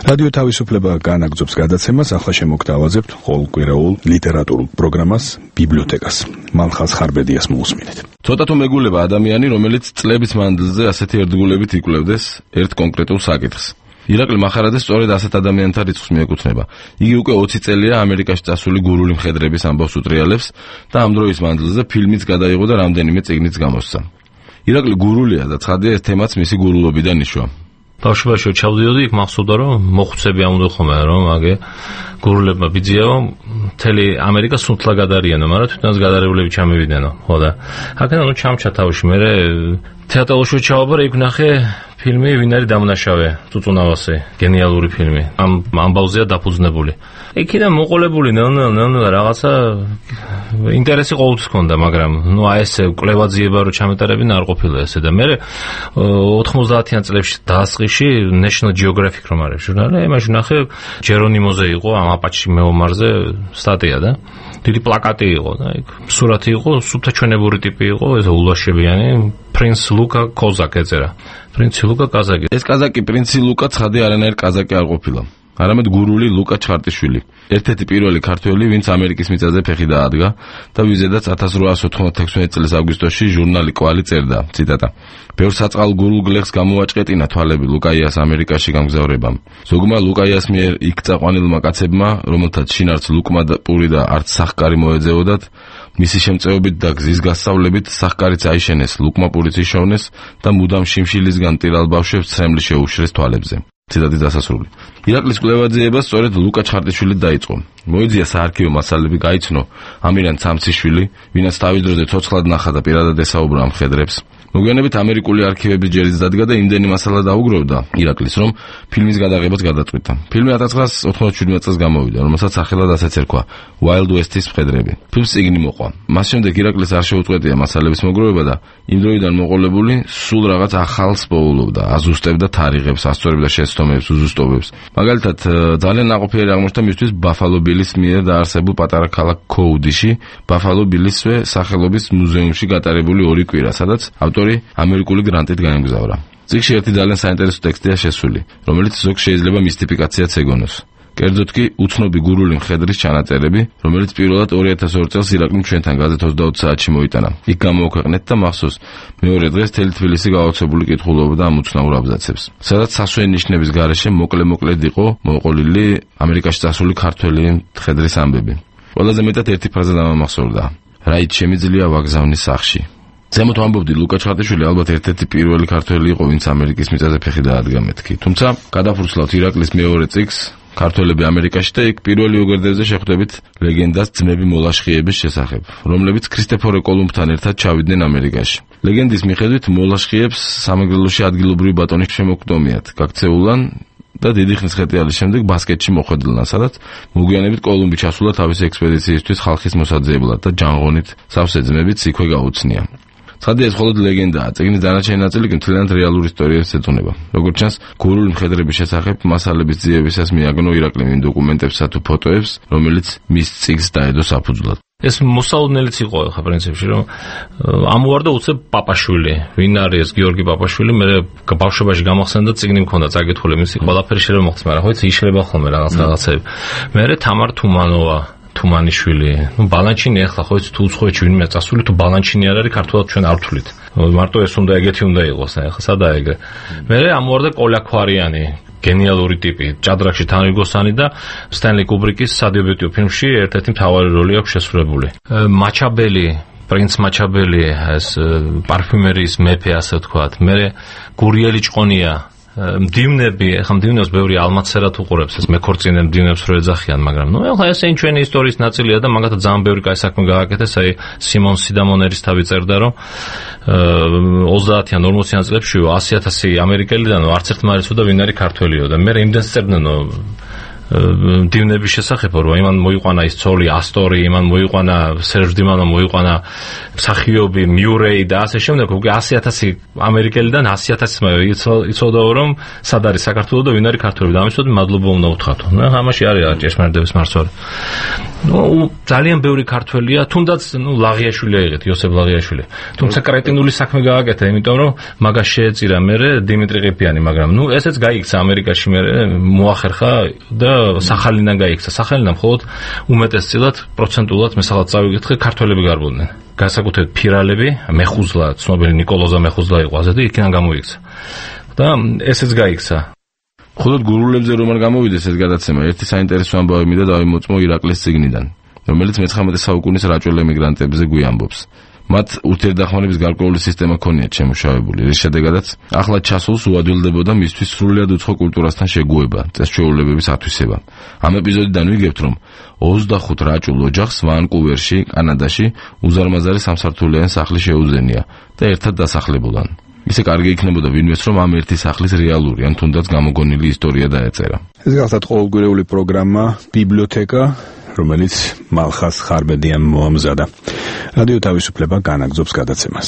[SPEAKER 1] რადიო თავისუფლება განაგრძობს გადაცემას, ახლა შემოგთავაზებთ ყოველკვირეულ ლიტერატურულ პროგრამას ბიბლიოთეკას. მალხაზ ხარბედიას მოусმინეთ.
[SPEAKER 16] ცოტა თუ მეგულება ადამიანი, რომელიც წლების მანძილზე ასეთი ერთგულებით იკვლევდეს ერთ კონკრეტულ საკითხს. ირაკლი მახარაძე სწორედ ასეთ ადამიანთა რიცხვს მიეკუთვნება. იგი უკვე ოცი წელია ამერიკაში წასული გურული მხედრების ამბავს უტრიალებს და ამ დროის მანძილზე ფილმიც გადაიღო და რამდენიმე წიგნიც გამოსცა. ირაკლი გურულია და ცხადია ეს თემაც მისი გურულობიდან იშვა.
[SPEAKER 17] ბავშვობაში ჩავდიოდი, იქ მახსოვდა რომ მოხუცები ამოდო ხოლმე რომ აგე გურულებმა ბიძიაო, მთელი ამერიკა სუნთლა გადარიანო, მაგრამ თვითონაც გადარევლები ჩამივიდენო, ხო და აქედან ნუ ჩამჩა თავში, მე თეატრალში ჩავაბარე, იქ ნახე ფილმი ვინ არის დამნაშავე, წუწუნავასე, გენიალური ფილმი. ამ ამბავზეა დაფუძნებული. იქიდან მოყოლებული ნელ-ნელ რაღაცა ინტერესი ყოველთვის ჰქონდა, მაგრამ ნუ აი ესე კვლევაძიება რო ჩამეტარებინა არ ყოფილა ესე და მე ოთხმოცდაათიან წლებში დაასყიში National Geographic რომ არის ჟურნალი, იმაში ნახე ჯერონიმოზე იყო ამ აპაჩი მეომარზე სტატია და დიდი პლაკატი იყო და იქ სურათი იყო, სუფთაჩვენებური ტიპი იყო, ეს ულაშებიანი პრინც ლუკა კოზაკი ეწერა. პრინცი ლუკა კაზაკი.
[SPEAKER 16] ეს კაზაკი პრინცი ლუკა ცხადი არანაირ კაზაკი არ ყოფილა. არამედ გურული ლუკა ჩხარტიშვილი. ერთ-ერთი პირველი ქართველი, ვინც ამერიკის მიწაზე ფეხი დაადგა და ვიზედაც ათას რვაასი ოთხმოცდათექვსმეტი წლის აგვისტოში ჟურნალი კვალი წერდა, ციტატა. ბევრ საწყალ გურულ გლეხს გამოაჭყეტინა თვალები ლუკაიას ამერიკაში გამგზავრებამ. ზოგმა ლუკაიას მიერ იქ წაყვანილმა კაცებმა, რომელთაც შინარც ლუკმა და პური და არც სახკარი მოეძებოდათ, მისი შემწეობით და გზის გასწავლებით სახკარიც აიშენეს, ლუკმა პურიც იშოვნეს და მუდამ შიმშილისგან ტირალ ბავშვებს ცრემლი შეუშრეს თვალებზე. ციტატის დასასრული. ირაკლის კვლევაძიება სწორედ ლუკა ჩხარტიშვილი დაიწყო. მოიძია საარქივო მასალები გაიცნო ამირან ცამციშვილი, ვინაც თავის დროზე ცოცხლად ნახა და პირადად ესაუბრა ამ მხედრებს. მოგვიანებით ამერიკული არქივების ჯერიც დადგა და იმდენი მასალა დაუგროვდა ირაკლის, რომ ფილმის გადაღებაც გადაწყვიტა. ფილმი ათას ცხრაასი ოთხმოცდაშვიდმეტი წელს გამოვიდა, რომელსაც სახელად ასეც ერქვა Wild West-ის მხედრები. ფილმს წიგნი მოყვა. მას შემდეგ ირაკლის არ შეუწყვეტია მასალების მოგროვება და იმ დროიდან მოყოლებული სულ რაღაც ახალს პოულობდა, აზუსტებდა თარიღებს, ასწორებდა შეცდომებს, უზუსტობებს. მაგალითად, ძალიან ნაყოფიერი აღმოჩნდა მისთვის ბაფალო ბილის მიერ დაარსებულ პატარა ქალაქ კოუდიში, ბაფალო ბილისვე სახელობის მუზეუმში გატარებული ორი კვირა, სადაც ავტორი ამერიკული გრანტით გაემგზავრა. წიგნში ერთი ძალიან საინტერესო ტექსტია შესული, რომელიც ზოგს შეიძლება მისტიფიკაციაც ეგონოს. კერძოდ კი უცნობი გურული მხედრის ჩანაწერები, რომელიც პირველად ორი ათას ორი წელს ირაკლიმ ჩვენთან გაზეთ ოცდაოთხ საათში მოიტანა. იქ გამოაქვეყნეთ და მახსოვს მეორე დღეს თელი თბილისი გაოცებული კითხულობდა ამ უცნაურ აბზაცებს. სადაც სასვენ ნიშნების გარეშე მოკლე-მოკლედ იყო მოყოლილი ამერიკაში წასული ქართველი მხედრის ამბები. ყველაზე მეტად ერთი ფრაზა დამამახსოვრდა: რაით შემიძლია ვაგზავნი სახში. ზემოთ ვამბობდი, ლუკა ჩხარტიშვილი ალბათ ერთ-ერთი პირველი ქართველი იყო, ვინც ამერიკის მიწაზე ფეხი დაადგა მეთქი. თუმცა გადაფურცლავთ ირაკლის მეორე წიგნს ქართველები ამერიკაში და იქ პირველი უგერდებზე შეხვდებით ლეგენდას ძმები მოლაშხიების შესახებ, რომლებიც ქრისტეფორე კოლუმბთან ერთად ჩავიდნენ ამერიკაში. ლეგენდის მიხედვით მოლაშხიებს სამეგრელოში ადგილობრივი ბატონის შემოქმედიათ გაქცეულან და დიდი ხნის ხეტიალის შემდეგ ბასკეთში მოხვედრილან, სადაც მოგვიანებით კოლუმბი ჩასულა თავისი ექსპედიციისთვის ხალხის მოსაძიებლად და ჯანღონით სავსე ძმებიც იქვე გაუცნია. ცხადია, ეს მხოლოდ ლეგენდაა. წიგნის დანარჩენი ნაწილი კი მთლიანად რეალურ ისტორიას ეძღვნება. როგორც ჩანს, გურული მხედრების შესახებ მასალების ძიებისას მიაგნო ირაკლიმ იმ დოკუმენტებსა თუ ფოტოებს, რომელიც მის წიგნს დაედო საფუძვლად.
[SPEAKER 17] ეს მოსაოდნელიც იყო ხა პრინციპში, რომ ამოვარდა უცებ პაპაშვილი, ვინ არის გიორგი პაპაშვილი, მე ბავშვობაში გამახსენდა წიგნი მქონდა წაკითხული, მისი ყველაფერი შეიძლება მოხდეს, მაგრამ ხო იცი იშლება ხოლმე რაღაც რაღაცები. მე თამარ თუმანოვა თუმანიშვილი, ну ბალანჩინი ახლა ხო იცი თუ უცხოეთში ვინმე წასული თუ ბალანჩინი არ არის ქართულად ჩვენ არ ვთვლით. მარტო ეს უნდა ეგეთი უნდა იყოს, ახლა სადაა ეგრე. მე ამოვარდა კოლაქვარიანი გენიალური ტიპი, ჭადრაკში თანრიგოსანი და სტენლი კუბრიკის სადებიუტო ფილმში ერთ-ერთი მთავარი როლი აქვს შესრულებული. მაჩაბელი, პრინც მაჩაბელი, ეს პარფიუმერიის მეფე, ასე ვთქვათ. მე გურიელი ჭყონია, მდივნები, ახლა მდივნებს ბევრი ალმაცერად უყურებს, ეს მეკორწინე მდივნებს რო ეძახიან, მაგრამ ნუ ახლა ეს ჩვენი ისტორიის ნაწილია და მაგათ ძალიან ბევრი კაი საქმე გააკეთეს, აი სიმონ სიდამონერის თავი წერდა, რომ ოცდაათიან ორმოციან წლებში ასი ათასი ამერიკელიდანო არც ერთ მარიცოდა ვინ არის ქართველიო და მე იმდენს წერდნენო მდივნების შესახებ, რომ იმან მოიყვანა ის ცოლი ასტორი, იმან მოიყვანა სერჟ დიმანო მოიყვანა მსახიობი მიურეი და ასე შემდეგ, უკვე ასი ათასი ამერიკელიდან ასი ათასი იცოდა რომ სად არის საქართველო და ვინ არის ქართველი და ამისოდ მადლობა უნდა უთხრათო. ნუ ამაში არის ჭეშმარიტების მარცვალი. ნუ ძალიან ბევრი ქართველია, თუნდაც ნუ ლაღიაშვილი აიღეთ, იოსებ ლაღიაშვილი. თუმცა კრეტინული საქმე გააკეთა, იმიტომ რომ მაგას შეეწირა მე დიმიტრი ყიფიანი, მაგრამ ნუ ესეც გაიქცა ამერიკაში მე მოახერხა და სახალინიდან გაიქცა. სახალინიდან მხოლოდ უმეტესწილად პროცენტულად მე სადაც წავიკითხე ქართველები გარბოდნენ. განსაკუთრებით ფირალები, მეხუზლა, ცნობილი ნიკოლოზა მეხუზლა იყო ასე და იქიდან გამოიქცა. და ესეც გაიქცა.
[SPEAKER 16] მხოლოდ გურულებზე რომ არ გამოვიდეს ეს გადაცემა, ერთი საინტერესო ამბავი მინდა დავიმოწმო ირაკლის წიგნიდან, რომელიც მეცხრამეტე საუკუნის რაჭველ ემიგრანტებზე გვიამბობს. მათ ურთიერთდახმარების გარკვეული სისტემა ქონიათ შემუშავებული, რის შედეგადაც ახლა ჩასულს უადვილდებოდა მისთვის სრულიად უცხო კულტურასთან შეგუება, წესჩვეულებების ათვისება. ამ ეპიზოდიდან ვიგებთ, რომ ოცდახუთ რაჭულ ოჯახს ვანკუვერში, კანადაში უზარმაზარი სამსართულიანი სახლი შეუძენია და ერთად დასახლებულან. ისე კარგი იქნებოდა ვინმეს, რომ ამ ერთი სახლის რეალური ან თუნდაც გამოგონილი ისტორია დაეწერა.
[SPEAKER 1] ეს გახლავთ ყოველგვარეული პროგრამა ბიბლიოთეკა, რომელიც მალხას ხარბედიამ მოამზადა. რადიო თავისუფლება განაგზობს გადაცემას.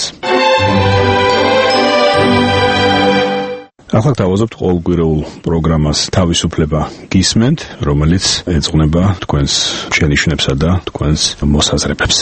[SPEAKER 1] ახლა თავაზობთ ყოველგვარეულ პროგრამას თავისუფლება გისმენთ, რომელიც ეძღვნება თქვენს შენიშვნებსა და თქვენს მოსაზრებებს.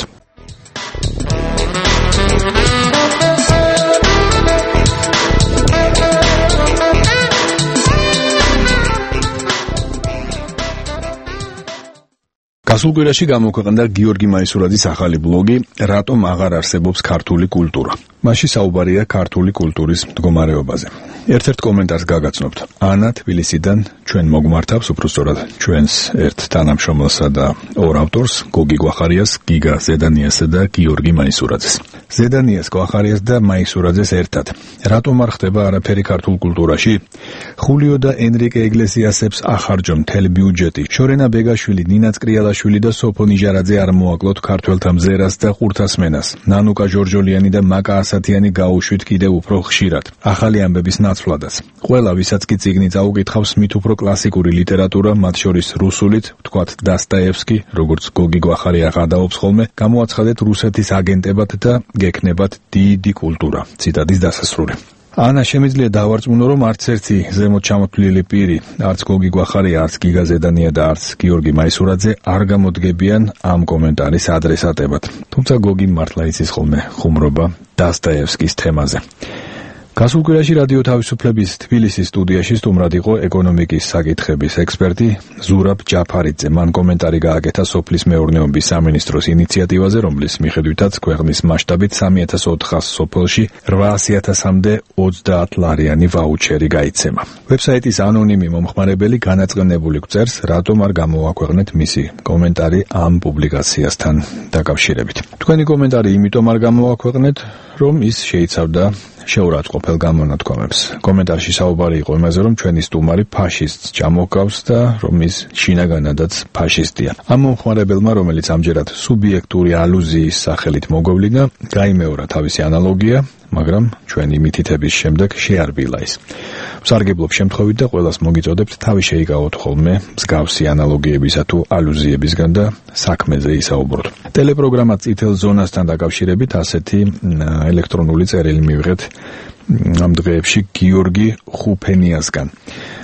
[SPEAKER 1] გასულ კვირაში გამოქვეყნდა გიორგი მაისურაძის ახალი ბლოგი „რატომ აღარ არსებობს ქართული კულტურა“. მასში საუბარია ქართული კულტურის მდგომარეობაზე. ერთ-ერთ კომენტარს გაგაცნობთ. ანა თბილისიდან ჩვენ მოგმართავს, უბრალოდ ჩვენს ერთ თანამშრომელსა და ორ ავტორს, გოგი გვახარიას, გიგა ზედანიასა და გიორგი მაისურაძეს. ზედანიას, გვახარიას და მაისურაძეს ერთად. რატომ არ ხდება არაფერი ქართულ კულტურაში? ხულიო და ენრიკე ეგლესიასებს ახარჯონ მთელი ბიუჯეტი. შორენა ბეგაშვილი, ნინა წკრიალაშვილი და სოფო ნიჟარაძე არ მოაკლოთ ქართველთა მზერას და ყურთასმენას. ნანუკა ჟორჟოლიანი და მაკა ასათიანი გაუშვით კიდევ უფრო ხშირად. ახალი ამბების ნაცვლადაც. ყველა, ვისაც კი წიგნი წაუკითხავს, მით უფრო კლასიკური ლიტერატურა, მათ შორის რუსულით, ვთქვათ დასტაევსკი, როგორც გოგი გვახარია გადაობს ხოლმე, გამოაცხადეთ რუსეთის აგენტებად და გექნებათ დიდი კულტურა. ციტატის დასასრული. ანა, შემიძლია დავარწმუნო, რომ არც ერთი ზემოთ ჩამოთვლილი პირი, არც გოგი გვახარია, არც გიგა ზედანია და არც გიორგი მაისურაძე არ გამოდგებიან ამ კომენტარის ადრესატებად. თუმცა გოგი მართლა იცის ხოლმე ხუმრობა დასტაევსკის თემაზე. გასულ კვირაში რადიო თავისუფლების თბილისის სტუდიაში სტუმრად იყო ეკონომიკის საკითხების ექსპერტი ზურაბ ჯაფარიძე. მან კომენტარი გააკეთა სოფლის მეურნეობის სამინისტროს ინიციატივაზე, რომლის მიხედვითაც ქვეყნის მასშტაბით სამი ათას ოთხას სოფელში რვაასი ათასამდე ოცდაათ ლარიანი ვაუჩერი გაიცემა. ვებსაიტის ანონიმი მომხმარებელი განაწყენებული გწერს, რატომ არ გამოაქვეყნეთ მისი კომენტარი ამ პუბლიკაციასთან დაკავშირებით. თქვენი კომენტარი იმიტომ არ გამოაქვეყნეთ, რომ ის შეიცავდა შეურაცხყოფელ გამონათქვამებს. კომენტარში საუბარი იყო იმაზე, რომ ჩვენი სტუმარი ფაშისტს ჩამოჰგავს და რომ ის შინაგანადაც ფაშისტია. ამ მომხმარებელმა, რომელიც ამჯერად სუბიექტური ალუზიის სახელით მოგვევლინა, გაიმეორა თავისი ანალოგია, მაგრამ ჩვენი მითითების შემდეგ შეარბილა ის. ვსარგებლობ შემთხვევით და ყველას მოგიწოდებთ თავი შეიკავოთ ხოლმე მსგავსი ანალოგიებისა თუ ალუზიებისგან და საქმეზე ისაუბროთ. ტელეპროგრამა წითელ ზონასთან დაკავშირებით ასეთი ელექტრონული წერილი მივიღეთ ამ დღეებში გიორგი ხუფენიასგან.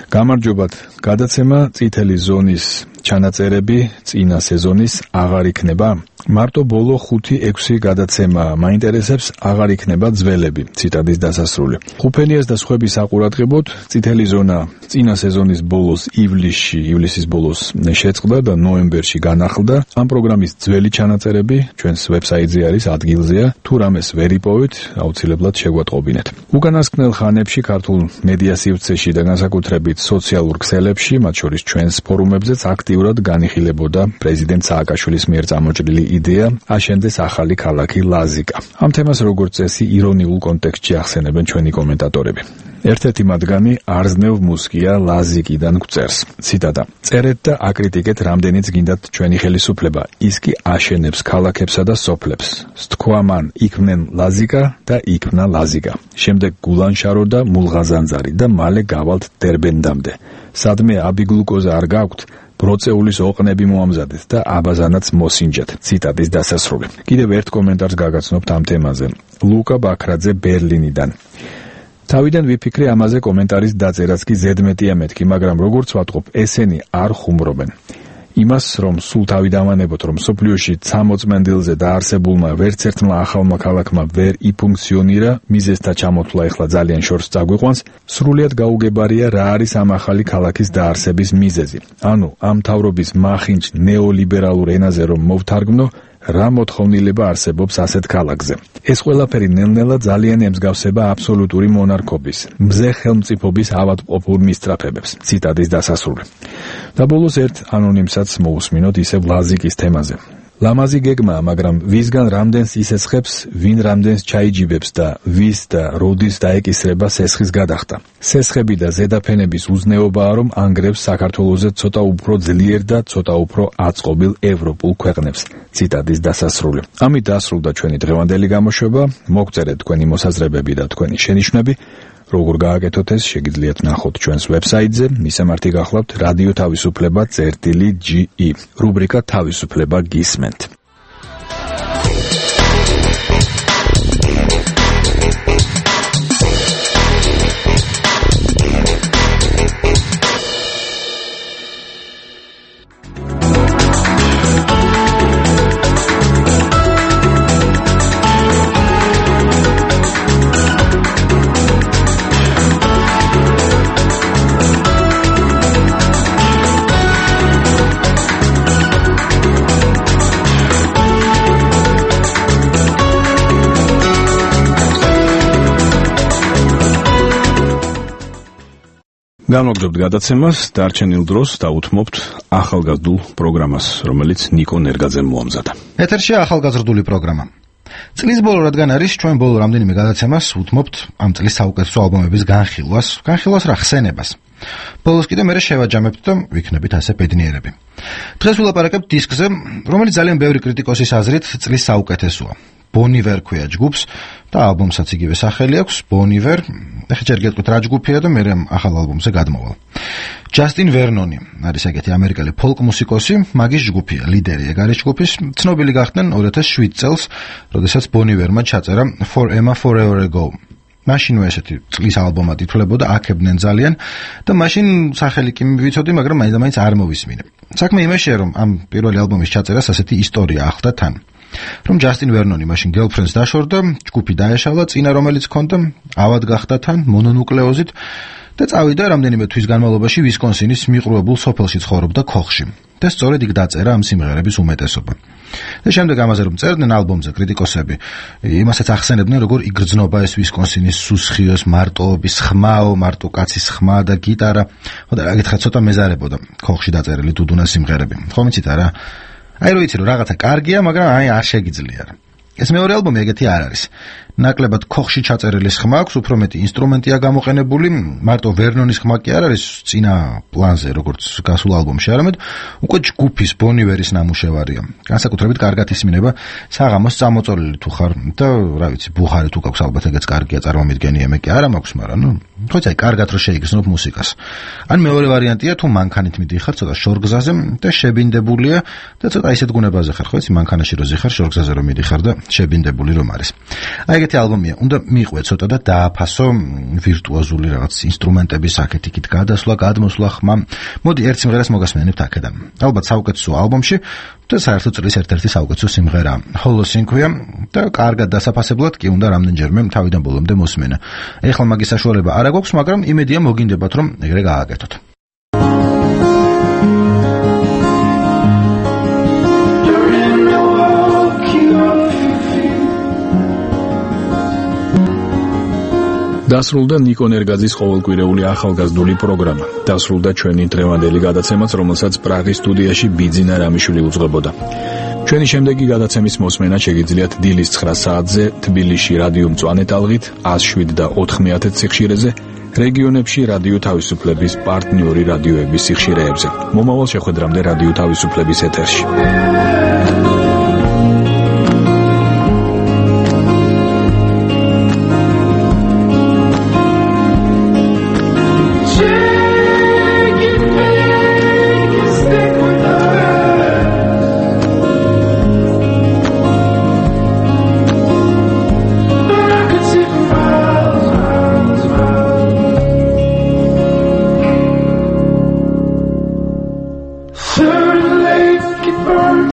[SPEAKER 1] გამარჯობათ, გადაცემა წითელი ზონის ჩანაწერები წინა სეზონის აღარ იქნება? მარტო ბოლო ხუთი ექვსი გადაცემა მაინტერესებს, აღარ იქნება ძველები. ციტატის დასასრული. ხუფენიას და სხვების საყურადღებოდ წითელი ზონა წინა სეზონის ბოლოს ივლისში, ივლისის ბოლოს შეწყდა და ნოემბერში განახლდა. ამ პროგრამის ძველი ჩანაწერები ჩვენს ვებსაიტზე არის, ადგილზეა. თუ რამეს ვერ იპოვეთ, აუცილებლად შეგვატყობინეთ. უკანასკნელ ხანებში ქართულ მედია სივრცეში და განსაკუთრებით სოციალურ ქსელებში, მათ შორის ჩვენს ფორუმებზეც აქტიურად განიხილებოდა პრეზიდენტ სააკაშვილის მიერ წამოჭრილი იდეა აშენდეს ახალი ქალაქი ლაზიკა. ამ თემას როგორც წესი ირონიულ კონტექსტში ახსენებენ ჩვენი კომენტატორები. ერთ-ერთი მათგანი არზნევ მუსკია ლაზიკიდან გვწერს. ციტატა: წერეთ და აკრიტიკეთ რამდენიც გინდათ ჩვენი ხელისუფლება, ის კი აშენებს ქალაქებსა და სოფლებს. სთქვა მან იქმნენ ლაზიკა და იქმნა ლაზიკა. შემდეგ გულანშარო და მულღაზანძარი და მალე გავალთ დერბენდამდე. სადმე აბიგლუკოზა არ გაქვთ, ბროწეულის ოყნები მოამზადეთ და აბაზანაც მოსინჯეთ. ციტატის დასასრული. კიდევ ერთ კომენტარს გაგაცნობთ ამ თემაზე. ლუკა ბაქრაძე ბერლინიდან. თავიდან ვიფიქრე ამაზე კომენტარის დაწერაც კი ზედმეტია მეთქი, მაგრამ როგორც ვატყობ, ესენი არ ხუმრობენ. იმას, რომ სულ თავი დავანებოთ, რომ სოფლიოში ცამოწმენდილზე დაარსებულმა ვერც ერთმა ახალმა ქალაქმა ვერ იფუნქციონირა, მიზეზთა ჩამოთვლა ეხლა ძალიან შორს წაგვიყვანს, სრულიად გაუგებარია რა არის ამ ახალი ქალაქის დაარსების მიზეზი. ანუ ამ მთავრობის მახინჯ ნეოლიბერალურ ენაზე რომ მოვთარგმნო, რა მოთხოვნილება არსებობს ასეთ ქალაქზე. ეს ყველაფერი ნელ-ნელა ძალიან ემსგავსება აბსოლუტური მონარქობის, მზე ხელმწიფობის ავადმყოფურ მისწრაფებებს. ციტატის დასასრული. და ბოლოს ერთ ანონიმსაც მოусმინოთ ისევ ლაზიკის თემაზე. ლამაზი გეგმაა, მაგრამ ვისგან რამდენს ისესხებს, ვინ რამდენს ჩაიჯიბებს და ვის და როდის დაეკისრება სესხის გადახდა. სესხები და ზედაფენების უზნეობაა, რომ ანგრევს საქართველოზე ცოტა უფრო ძლიერ და ცოტა უფრო აწყობილ ევროპულ ქვეყნებს. ციტატის დასასრული. ამით დასრულდა ჩვენი დღევანდელი გამოშვება. მოგწერეთ თქვენი მოსაზრებები და თქვენი შენიშვნები. როგორ გააკეთოთ ეს, შეგიძლიათ ნახოთ ჩვენს ვებსაიტზე. მისამართი გახლავთ რადიო თავისუფლება წერტილი ჯი ი. რუბრიკა თავისუფლება გისმენთ. გამოგდობთ გადაცემას, დარჩენილ დროს დაუთმობთ ახალგაზრდულ პროგრამას, რომელიც ნიკო ნერგაძემ მოამზადა.
[SPEAKER 18] ეთერშია ახალგაზრდული პროგრამა. წლის ბოლო რადგან არის, ჩვენ ბოლო რამდენიმე გადაცემას უთმობთ ამ წლის საუკეთესო ალბომების განხილვას, განხილვას რა ხსენებას. ბოლოს კიდე მე შევაჯამებთ და ვიქნებით ასე ბედნიერები. დღეს ვილაპარაკებთ დისკზე, რომელიც ძალიან ბევრი კრიტიკოსის აზრით წლის საუკეთესოა. ბონივერ ქვია ჯგუფს და ალბომსაც იგივე სახელი აქვს, ბონივერ. ეხლა ჯერ გეტყვით რა ჯგუფია და მე ახალ ალბომზე გადმოვალ. ჯასტინ ვერნონი არის ეგეთი ამერიკელი ფოლკ მუსიკოსი, მაგის ჯგუფია, ლიდერი ეგ არის ჯგუფის. ცნობილი გახდნენ ორი ათას შვიდ წელს, როდესაც ბონივერმა ჩაწერა For Emma Forever Ago. მაშინვე ესეთი წლის ალბომად ითვლებოდა, აქებდნენ ძალიან და მაშინ სახელი კი მივიცოდი, მაგრამ მაინც და მაინც არ მოვისმინე. საქმე იმაშია, რომ ამ პირველი ალბომის ჩაწერას ასეთი ისტორია ახლდა თან. რომ ჯასტინ ვერნონი მაშინ გერლფრენდს დაშორდა, ჯგუფი დაეშალა, წინა რომელიც ჰქონდა, ავად გახდა თან მონონუკლეოზით და წავიდა რამდენიმე თვის განმავლობაში ვისკონსინის მიყრუებულ სოფელში ცხოვრობდა ქოხში. და სწორედ იქ დაწერა ამ სიმღერების უმეტესობა. და შემდეგ ამაზე რომ წერდნენ ალბომზე კრიტიკოსები, იმასაც ახსენებდნენ, როგორ იგრძნობა ეს ვისკონსინის სუსხიოს მარტოობის ხმაო, მარტო კაცის ხმა და გიტარა. ხო და რა გითხრათ, ცოტა მეზარებოდა ქოხში დაწერილი დუდუნა სიმღერები. ხო მიცით არა? აი რო იცი რომ რაღაცა კარგია, მაგრამ აი არ შეგიძლია. ეს მეორე ალბომი ეგეთი არ არის. ნაკლებად ქოხში ჩაწერილი ხმა აქვს, უფრო მეტი ინსტრუმენტია გამოყენებული, მარტო ვერნონის ხმა კი არ არის წინა პლანზე, როგორც გასულ ალბომში, არამედ უკვე ჯგუფის ბონივერის ნამუშევარია. განსაკუთრებით კარგად ისმინება საღამოს წამოწოლილი თუ ხარ და რა ვიცი, ბუხარი თუ გაქვს ალბათ ეგეც კარგია წარმომიდგენია, მე კი არა მაქვს, მაგრამ ნუ ხოც აი კარგად რო შეიგრძნობ მუსიკას. ან მეორე ვარიანტია თუ მანქანით მიდიხარ ცოტა შორგზაზე და შებინდებულია და ცოტა ისეთ გუნებაზე ხარ, ხო იცი, მანქანაში რო ზიხარ, შორგზაზე რო მიდიხარ და შებინდებული რომ არის. აი ეგეთი ალბომია, უნდა მიყვე ცოტა და დააფასო ვირტუოზული რაღაც ინსტრუმენტების აქეთ-იქით გადასვლა, გადმოსვლა, ხმა. მოდი ერთ სიმღერას მოგასმენებთ აქედან. ალბათ საუკეთესო ალბომში და საერთოდ წლის ერთ-ერთი საუკეთესო სიმღერა ჰოლოსინქვია და კარგად დასაფასებლად კი უნდა რამდენჯერმე თავიდან ბოლომდე მოსმენა. ეხლა მაგის საშუალება არ აქვს, მაგრამ იმედია მოგინდებათ რომ ეგრე გააკეთოთ.
[SPEAKER 1] დასრულდა ნიკო ნერგაძის ყოველკვირეული ახალგაზრდული პროგრამა. დასრულდა ჩვენი დღევანდელი გადაცემაც, რომელსაც პრაღის სტუდიაში ბიძინა რამიშვილი უძღვებოდა. ჩვენი შემდეგი გადაცემის მოსმენა შეგიძლიათ დილის ცხრა საათზე თბილისში რადიო მწვანე ტალღით ათას შვიდ და ოთხმეათე სიხშირეზე, რეგიონებში რადიო თავისუფლების პარტნიორი რადიოების სიხშირეებზე. მომავალ შეხვედრამდე რადიო თავისუფლების ეთერში.